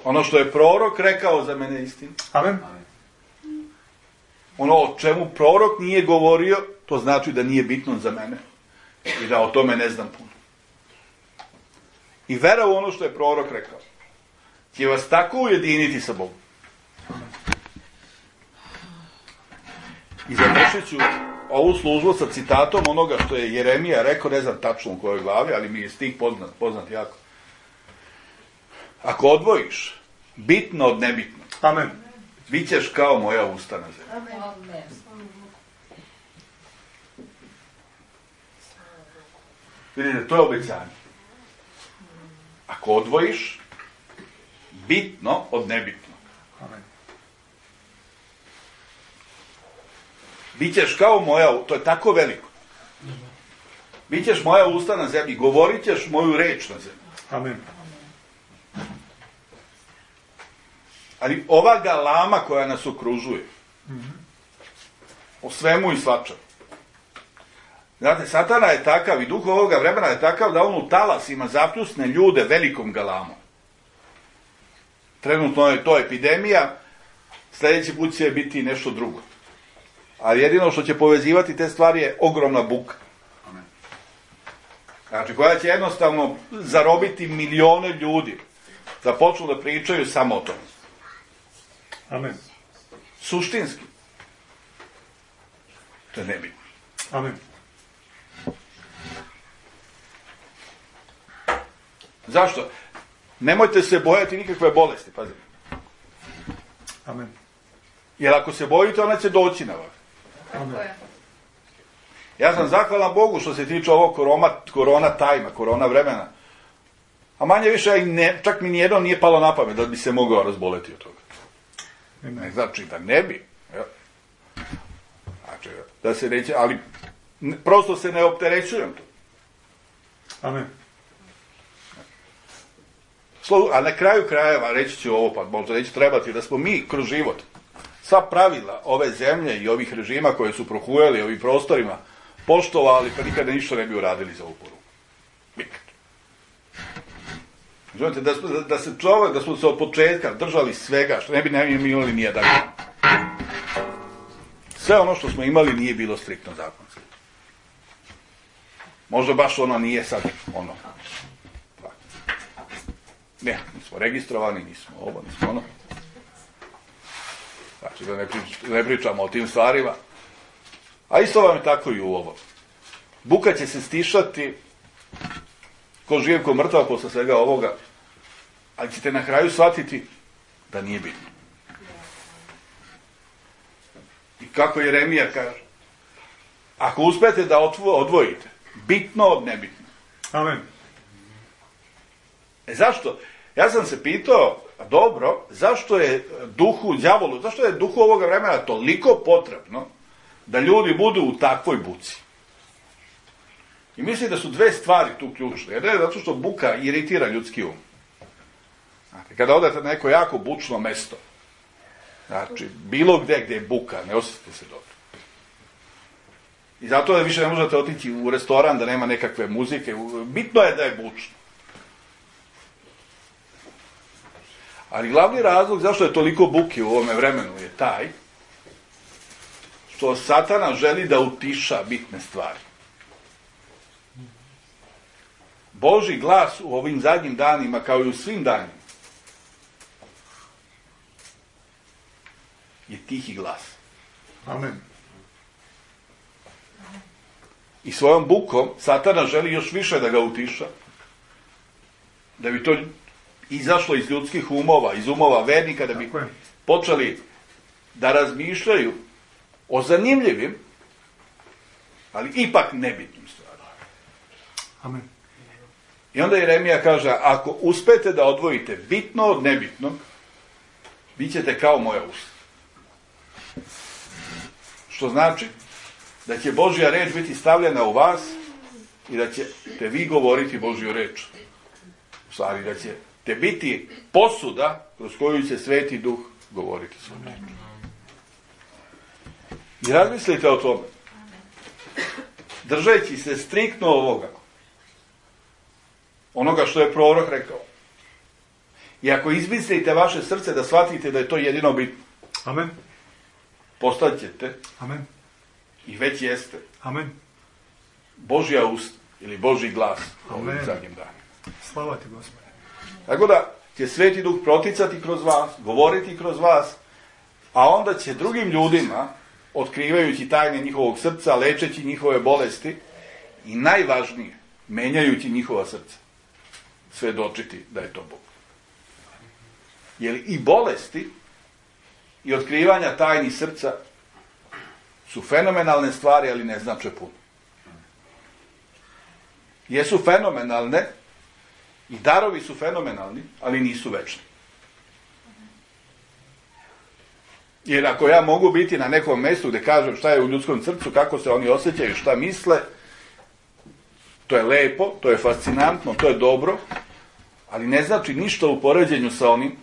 Ono što je prorok rekao za mene je istina. Amen. Ono o čemu prorok nije govorio, to znači da nije bitno za mene. I da o tome ne znam puno. I vera u ono što je prorok rekao će vas tako ujediniti sa Bogom. I završit ću ovu službu sa citatom onoga što je Jeremija rekao, ne znam tačno u kojoj glavi, ali mi je stih poznat, poznat jako. Ako odvojiš bitno od nebitno, Amen. bit ćeš kao moja usta na zemlji. Amen. Vidite, to je obećanje. Ako odvojiš bitno od nebitnog, Amen. bićeš kao moja, to je tako veliko. Bićeš moja usta na zemlji, govorit ćeš moju reč na zemlji. Amen. Ali ova galama koja nas okružuje, o svemu i svačemu. Znate, Satana je takav i duh ovoga vremena je takav da on u talasima zapljusne ljude velikom galamom. Trenutno je to epidemija, sljedeći put će biti nešto drugo. Ali jedino što će povezivati te stvari je ogromna buka. Znači, koja će jednostavno zarobiti milione ljudi da počnu da pričaju samo o tome. Amen. Suštinski. To je nebitno. Amen. Zašto? Nemojte se bojati nikakve bolesti, pazite. Amen. Jer ako se bojite, ona će doći na vas. Amen. Ja sam zahvalan Bogu što se tiče ovog korona, korona tajma, korona vremena. A manje više, i ne, čak mi nijedno nije palo na pamet da bi se mogao razboleti od toga. Ne znači da ne bi. Ja. Znači, da se neće, ali ne, prosto se ne opterećujem to. Amen. Slo, a na kraju krajeva, reći ću ovo, pa možda neće trebati, da smo mi kroz život sva pravila ove zemlje i ovih režima koje su prohujali ovim prostorima poštovali, pa nikada ništa ne bi uradili za uporu. Nikad. Znate, da, da, da se čovjek, da smo se od početka držali svega, što ne bi ne bi imali nijedan. Sve ono što smo imali nije bilo striktno zakonski. Možda baš ono nije sad ono. Ne, nismo registrovani, nismo ovo, nismo ono. Znači, da ne, prič, ne pričamo o tim stvarima. A isto vam je tako i u ovo. Buka će se stišati ko živ, ko mrtav posle svega ovoga, ali ćete na kraju shvatiti da nije bitno. I kako Jeremija kaže, ako uspete da odvojite bitno od nebitno. Amen. E zašto? Ja sam se pitao, dobro, zašto je duhu, đavolu, zašto je duhu ovoga vremena toliko potrebno da ljudi budu u takvoj buci? I mislim da su dve stvari tu ključne. Jedna je zato što buka iritira ljudski um. Znači, kada odete na neko jako bučno mesto, znači, bilo gde gde je buka, ne osjetite se dobro. I zato više ne možete otići u restoran da nema nekakve muzike. Bitno je da je bučno. Ali glavni razlog zašto je toliko buke u ovome vremenu je taj što Satana želi da utiša bitne stvari. Božji glas u ovim zadnjim danima, kao i u svim danima, je tihi glas. Amen. I svojom bukom Satana želi još više da ga utiša, da bi to izašlo iz ljudskih umova, iz umova vernika, da bi počeli da razmišljaju o zanimljivim, ali ipak nebitnim stvarima. Amen. I onda Jeremija kaže, ako uspete da odvojite bitno od nebitnog, bit ćete kao moja usta. Što znači da će Božja reč biti stavljena u vas i da ćete vi govoriti Božju reč. U stvari, da ćete biti posuda kroz koju će Sveti Duh govoriti svoj reč. I razmislite o tome. Držeći se striktno ovoga, onoga što je prorok rekao. I ako izmislite vaše srce da shvatite da je to jedino bitno, Amen. postat ćete, Amen. i već jeste, Amen. Božja ust ili Božji glas u ovim Amen. zadnjim danima. Slava ti, Gospode. Tako da će Sveti Duh proticati kroz vas, govoriti kroz vas, a onda će drugim ljudima, otkrivajući tajne njihovog srca, lečeći njihove bolesti i najvažnije, menjajući njihova srca, svedočiti da je to Bog. Jer i bolesti i otkrivanja tajnih srca su fenomenalne stvari, ali ne znače puno. jesu fenomenalne i darovi su fenomenalni, ali nisu večni. Jer ako ja mogu biti na nekom mjestu gdje kažem šta je u ljudskom srcu, kako se oni osjećaju, šta misle, to je lepo, to je fascinantno, to je dobro, ali ne znači ništa u poređenju sa onim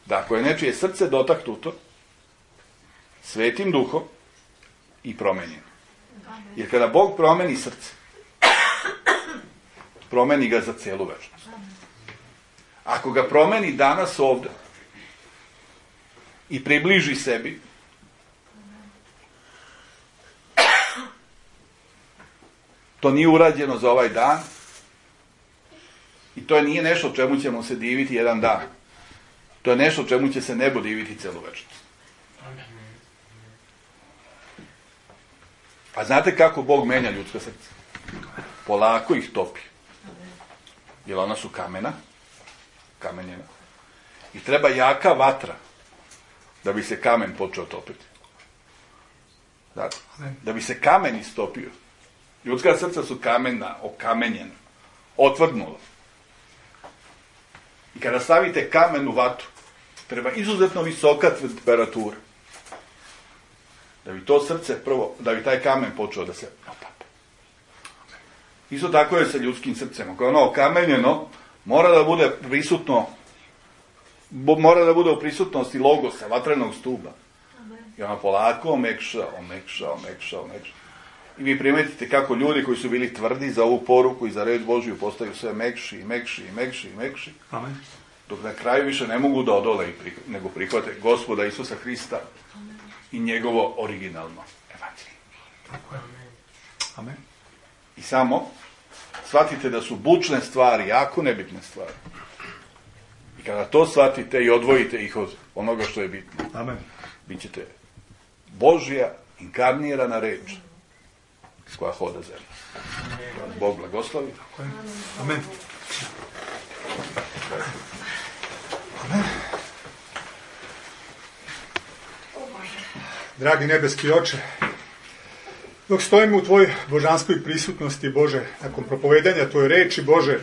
da ako je nečije srce dotaknuto Svetim Duhom i promenjeno. Jer kada Bog promeni srce, promeni ga za cijelu večnost. Ako ga promeni danas ovdje i približi sebi, to nije urađeno za ovaj dan i to nije nešto čemu ćemo se diviti jedan dan. To je nešto čemu će se nebo diviti cijelu večnost. A znate kako Bog menja ljudska srca? Polako ih topi. Jer ona su kamena, kamenjena. I treba jaka vatra da bi se kamen počeo topiti. Dakle, da bi se kamen istopio. Ljudska srca su kamena, okamenjena, otvrdnula. I kada stavite kamen u vatru, treba izuzetno visoka temperatura. Da bi to srce prvo, da bi taj kamen počeo da se otapa. Isto tako je sa ljudskim srcem. Ako je ono okamenjeno, mora da bude prisutno, mora da bude u prisutnosti logosa, vatrenog stuba. I ono polako omekša, omekša, omekša, omekša. I vi primetite kako ljudi koji su bili tvrdi za ovu poruku i za reč Božju postaju sve mekši i mekši i mekši i mekši. Amen. Dok na kraju više ne mogu da odole i prih- nego prihvate Gospoda Isusa Hrista i njegovo originalno evanđelje. Amen. I samo shvatite da su bučne stvari jako nebitne stvari. I kada to shvatite i odvojite ih od onoga što je bitno, Amen. bit ćete Božja inkarnirana reč s koja hoda zemlja. Bog blagoslovi. Amen. Amen. Dragi nebeski Oče, dok stojimo u Tvojoj božanskoj prisutnosti, Bože, nakon propovedanja Tvoje reči, Bože,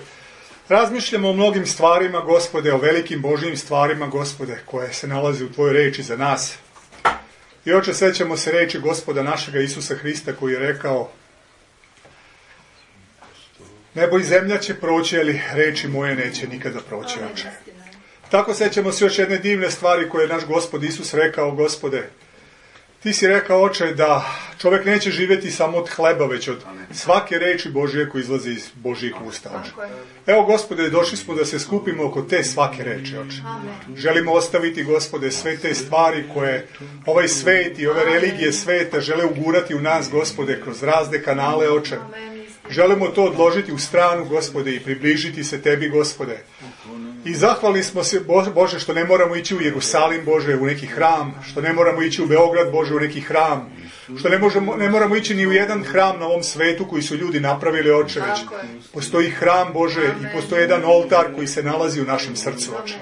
razmišljamo o mnogim stvarima, Gospode, o velikim Božjim stvarima, Gospode, koje se nalaze u Tvojoj reči za nas. I Oče, sećamo se reči Gospoda našega Isusa Hrista koji je rekao: nebo i zemlja će proći, ali reči moje neće nikada proći, Oče. Tako sećamo se još jedne divne stvari koje je naš Gospod Isus rekao: Gospode, Ti si rekao, Oče, da čovjek neće živjeti samo od hleba, već od svake reči Božje koja izlazi iz Božjih usta, Oče. Evo, Gospode, došli smo da se skupimo oko te svake reči, Oče. Želimo ostaviti, Gospode, sve te stvari koje ovaj svet i ove religije sveta žele ugurati u nas, Gospode, kroz razne kanale, Oče. Želimo to odložiti u stranu, Gospode, i približiti se Tebi, Gospode. I zahvalni smo se, Bože, što ne moramo ići u Jerusalim, Bože, u neki hram, što ne moramo ići u Beograd, Bože, u neki hram, što ne, možemo, ne moramo ići ni u jedan hram na ovom svetu koji su ljudi napravili, Oče, već postoji hram, Bože, i postoji jedan oltar koji se nalazi u našem srcu, Oče.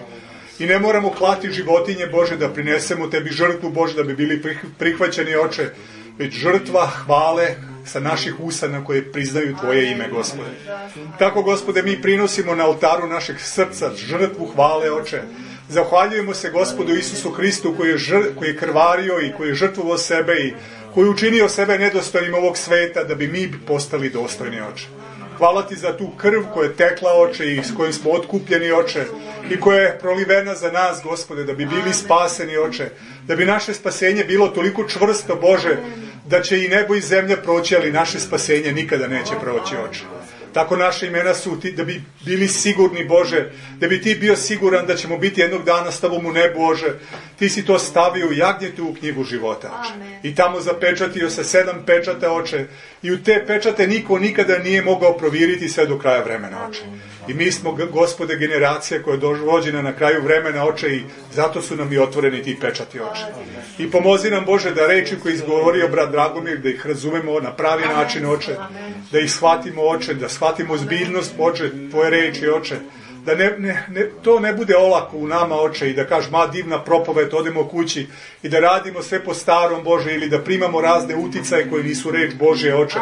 I ne moramo klati životinje, Bože, da prinesemo Tebi žrtvu, Bože, da bi bili prihvaćeni, Oče, već žrtva hvale sa naših usana koje priznaju Tvoje ime, Gospode. Tako, Gospode, mi prinosimo na oltaru našeg srca žrtvu hvale, Oče. Zahvaljujemo se Gospodu Isusu Hristu koji je, žr, koji je krvario i koji je žrtvovao sebe i koji je učinio sebe nedostojnim ovog sveta da bi mi postali dostojni, Oče. Hvala Ti za tu krv koja je tekla, Oče, i s kojim smo otkupljeni, Oče, i koja je prolivena za nas, Gospode, da bi bili spaseni, Oče, da bi naše spasenje bilo toliko čvrsto, Bože, da će i nebo i zemlja proći, ali naše spasenje nikada neće proći, Oče. Tako naše imena su ti, da bi bili sigurni, Bože, da bi Ti bio siguran da ćemo biti jednog dana s Tobom u nebu, Bože. Ti si to stavio u jagnjetu u knjigu života, Oče. I tamo zapečatio sa sedam pečata, Oče. I u te pečate niko nikada nije mogao provjeriti sve do kraja vremena, Oče. I mi smo, Gospode, generacija koja je dovođena na kraju vremena, Oče, i zato su nam i otvoreni ti pečati, Oče. I pomozi nam, Bože, da reči koje izgovorio brat Dragomir, da ih razumemo na pravi način, Oče, da ih shvatimo, Oče, da shvatimo zbiljnost, Oče, Tvoje reči, Oče, da ne, ne, ne, to ne bude olako u nama, Oče, i da kažeš, ma divna propoved, odemo kući i da radimo sve po starom, Bože, ili da primamo razne uticaje koji nisu reč Božje, Oče.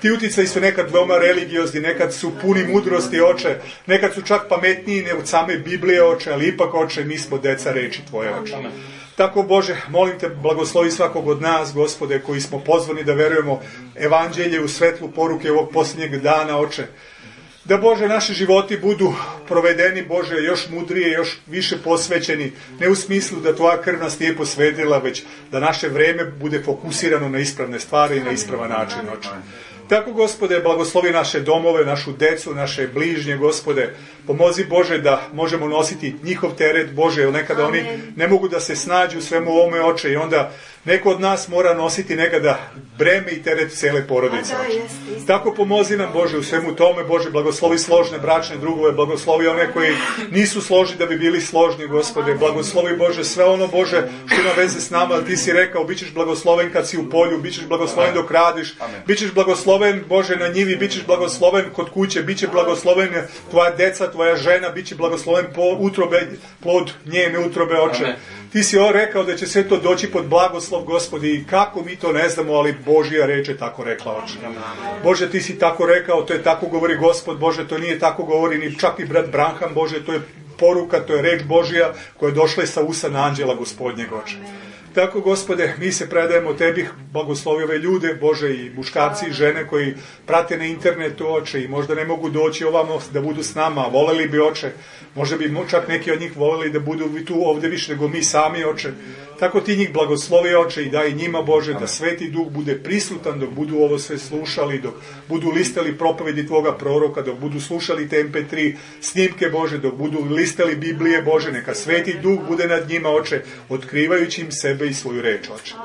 Ti uticaji su nekad veoma religiozni, nekad su puni mudrosti, Oče, nekad su čak pametniji ne od same Biblije, Oče, ali ipak, Oče, mi smo deca reči Tvoje, Oče. Amen. Tako, Bože, molim Te, blagoslovi svakog od nas, Gospode, koji smo pozvani da verujemo evanđelje u svetlu poruke ovog posljednjeg dana, Oče. Da, Bože, naši životi budu provedeni, Bože, još mudrije, još više posvećeni, ne u smislu da Tvoja krv nas nije posvetila, već da naše vreme bude fokusirano na ispravne stvari i na ispravan način, Oče. Tako, Gospode, blagoslovi naše domove, našu decu, naše bližnje, Gospode. Pomozi, Bože, da možemo nositi njihov teret, Bože, jer nekada Amen. Oni ne mogu da se snađu u svemu ovome, Oče, i onda neko od nas mora nositi nekada breme i teret cele porodice, Oče. Tako pomozi nam, Bože, u svemu tome, Bože, blagoslovi složne bračne drugove, blagoslovi one koji nisu složni da bi bili složni, Gospode. Blagoslovi, Bože, sve ono, Bože, što ima veze s nama, Ti si rekao, bit ćeš blagosloven kad si u polju, bit ćeš blagosloven dok radiš, bit ćeš blagosloven, Bože, na njivi, bit ćeš blagosloven kod kuće, bit će blagosloven tvoja deca, tvoja žena, bit će blagosloven po utrobe, plod njene utrobe, Oče. Amen. Ti si rekao da će sve to doći pod blagoslov, Gospodi, i kako mi to ne znamo, ali Božja reč je tako rekla, Oče. Bože, Ti si tako rekao, to je tako govori Gospod, Bože, to nije tako govori ni čak i brat Branham, Bože, to je poruka, to je reč Božja koja je došla sa usana anđela Gospodnjeg, Oče. Tako, Gospode, mi se predajemo Tebi, blagoslovi ove ljude, Bože, i muškarci i žene koji prate na internetu, Oče, i možda ne mogu doći ovamo da budu s nama, voleli bi, Oče, možda bi čak neki od njih voleli da budu tu ovdje više nego mi sami, Oče. Tako Ti njih blagoslovi, Oče, i daj njima, Bože, da Sveti Duh bude prisutan dok budu ovo sve slušali, dok budu listali propovedi Tvoga proroka, dok budu slušali te em pe tri snimke, Bože, dok budu listali Biblije, Bože, neka Sveti Duh bude nad njima, Oče, otkrivajući im sebe i svoju reč, Oče.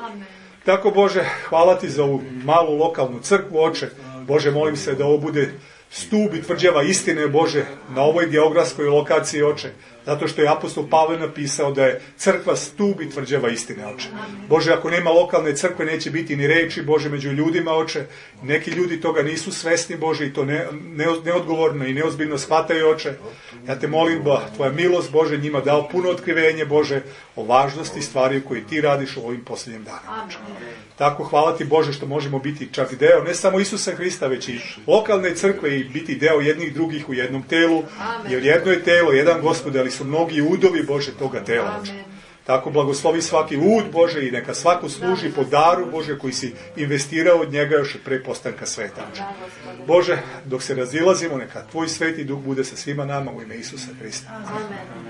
Tako, Bože, hvala Ti za ovu malu lokalnu crkvu, Oče. Bože, molim se da ovo bude stup i tvrđava istine, Bože, na ovoj geografskoj lokaciji, Oče. Zato što je apostol Pavle napisao da je crkva stup i tvrđava istine, Oče. Bože, ako nema lokalne crkve, neće biti ni reči, Bože, među ljudima, Oče. Neki ljudi toga nisu svesni, Bože, i to ne, ne, neodgovorno i neozbiljno shvataju, Oče. Ja Te molim da Tvoja milost, Bože, njima dao puno otkrivenje, Bože, o važnosti stvari koje Ti radiš u ovim posljednjim danima, Oče. Tako, hvala Ti, Bože, što možemo biti čak deo, ne samo Isusa Hrista, već i lokalne crkve i biti deo jednih drugih u jednom telu, jer jedno je telo, jedan Gospod, ali su mnogi udovi, Bože, toga tela, Oče. Tako, blagoslovi svaki ud, Bože, i neka svako služi po daru, Bože, koji si investirao od njega još pre postanka sveta, Oče. Bože, dok se razilazimo, neka Tvoj Sveti Duh bude sa svima nama u ime Isusa Hrista. Amen.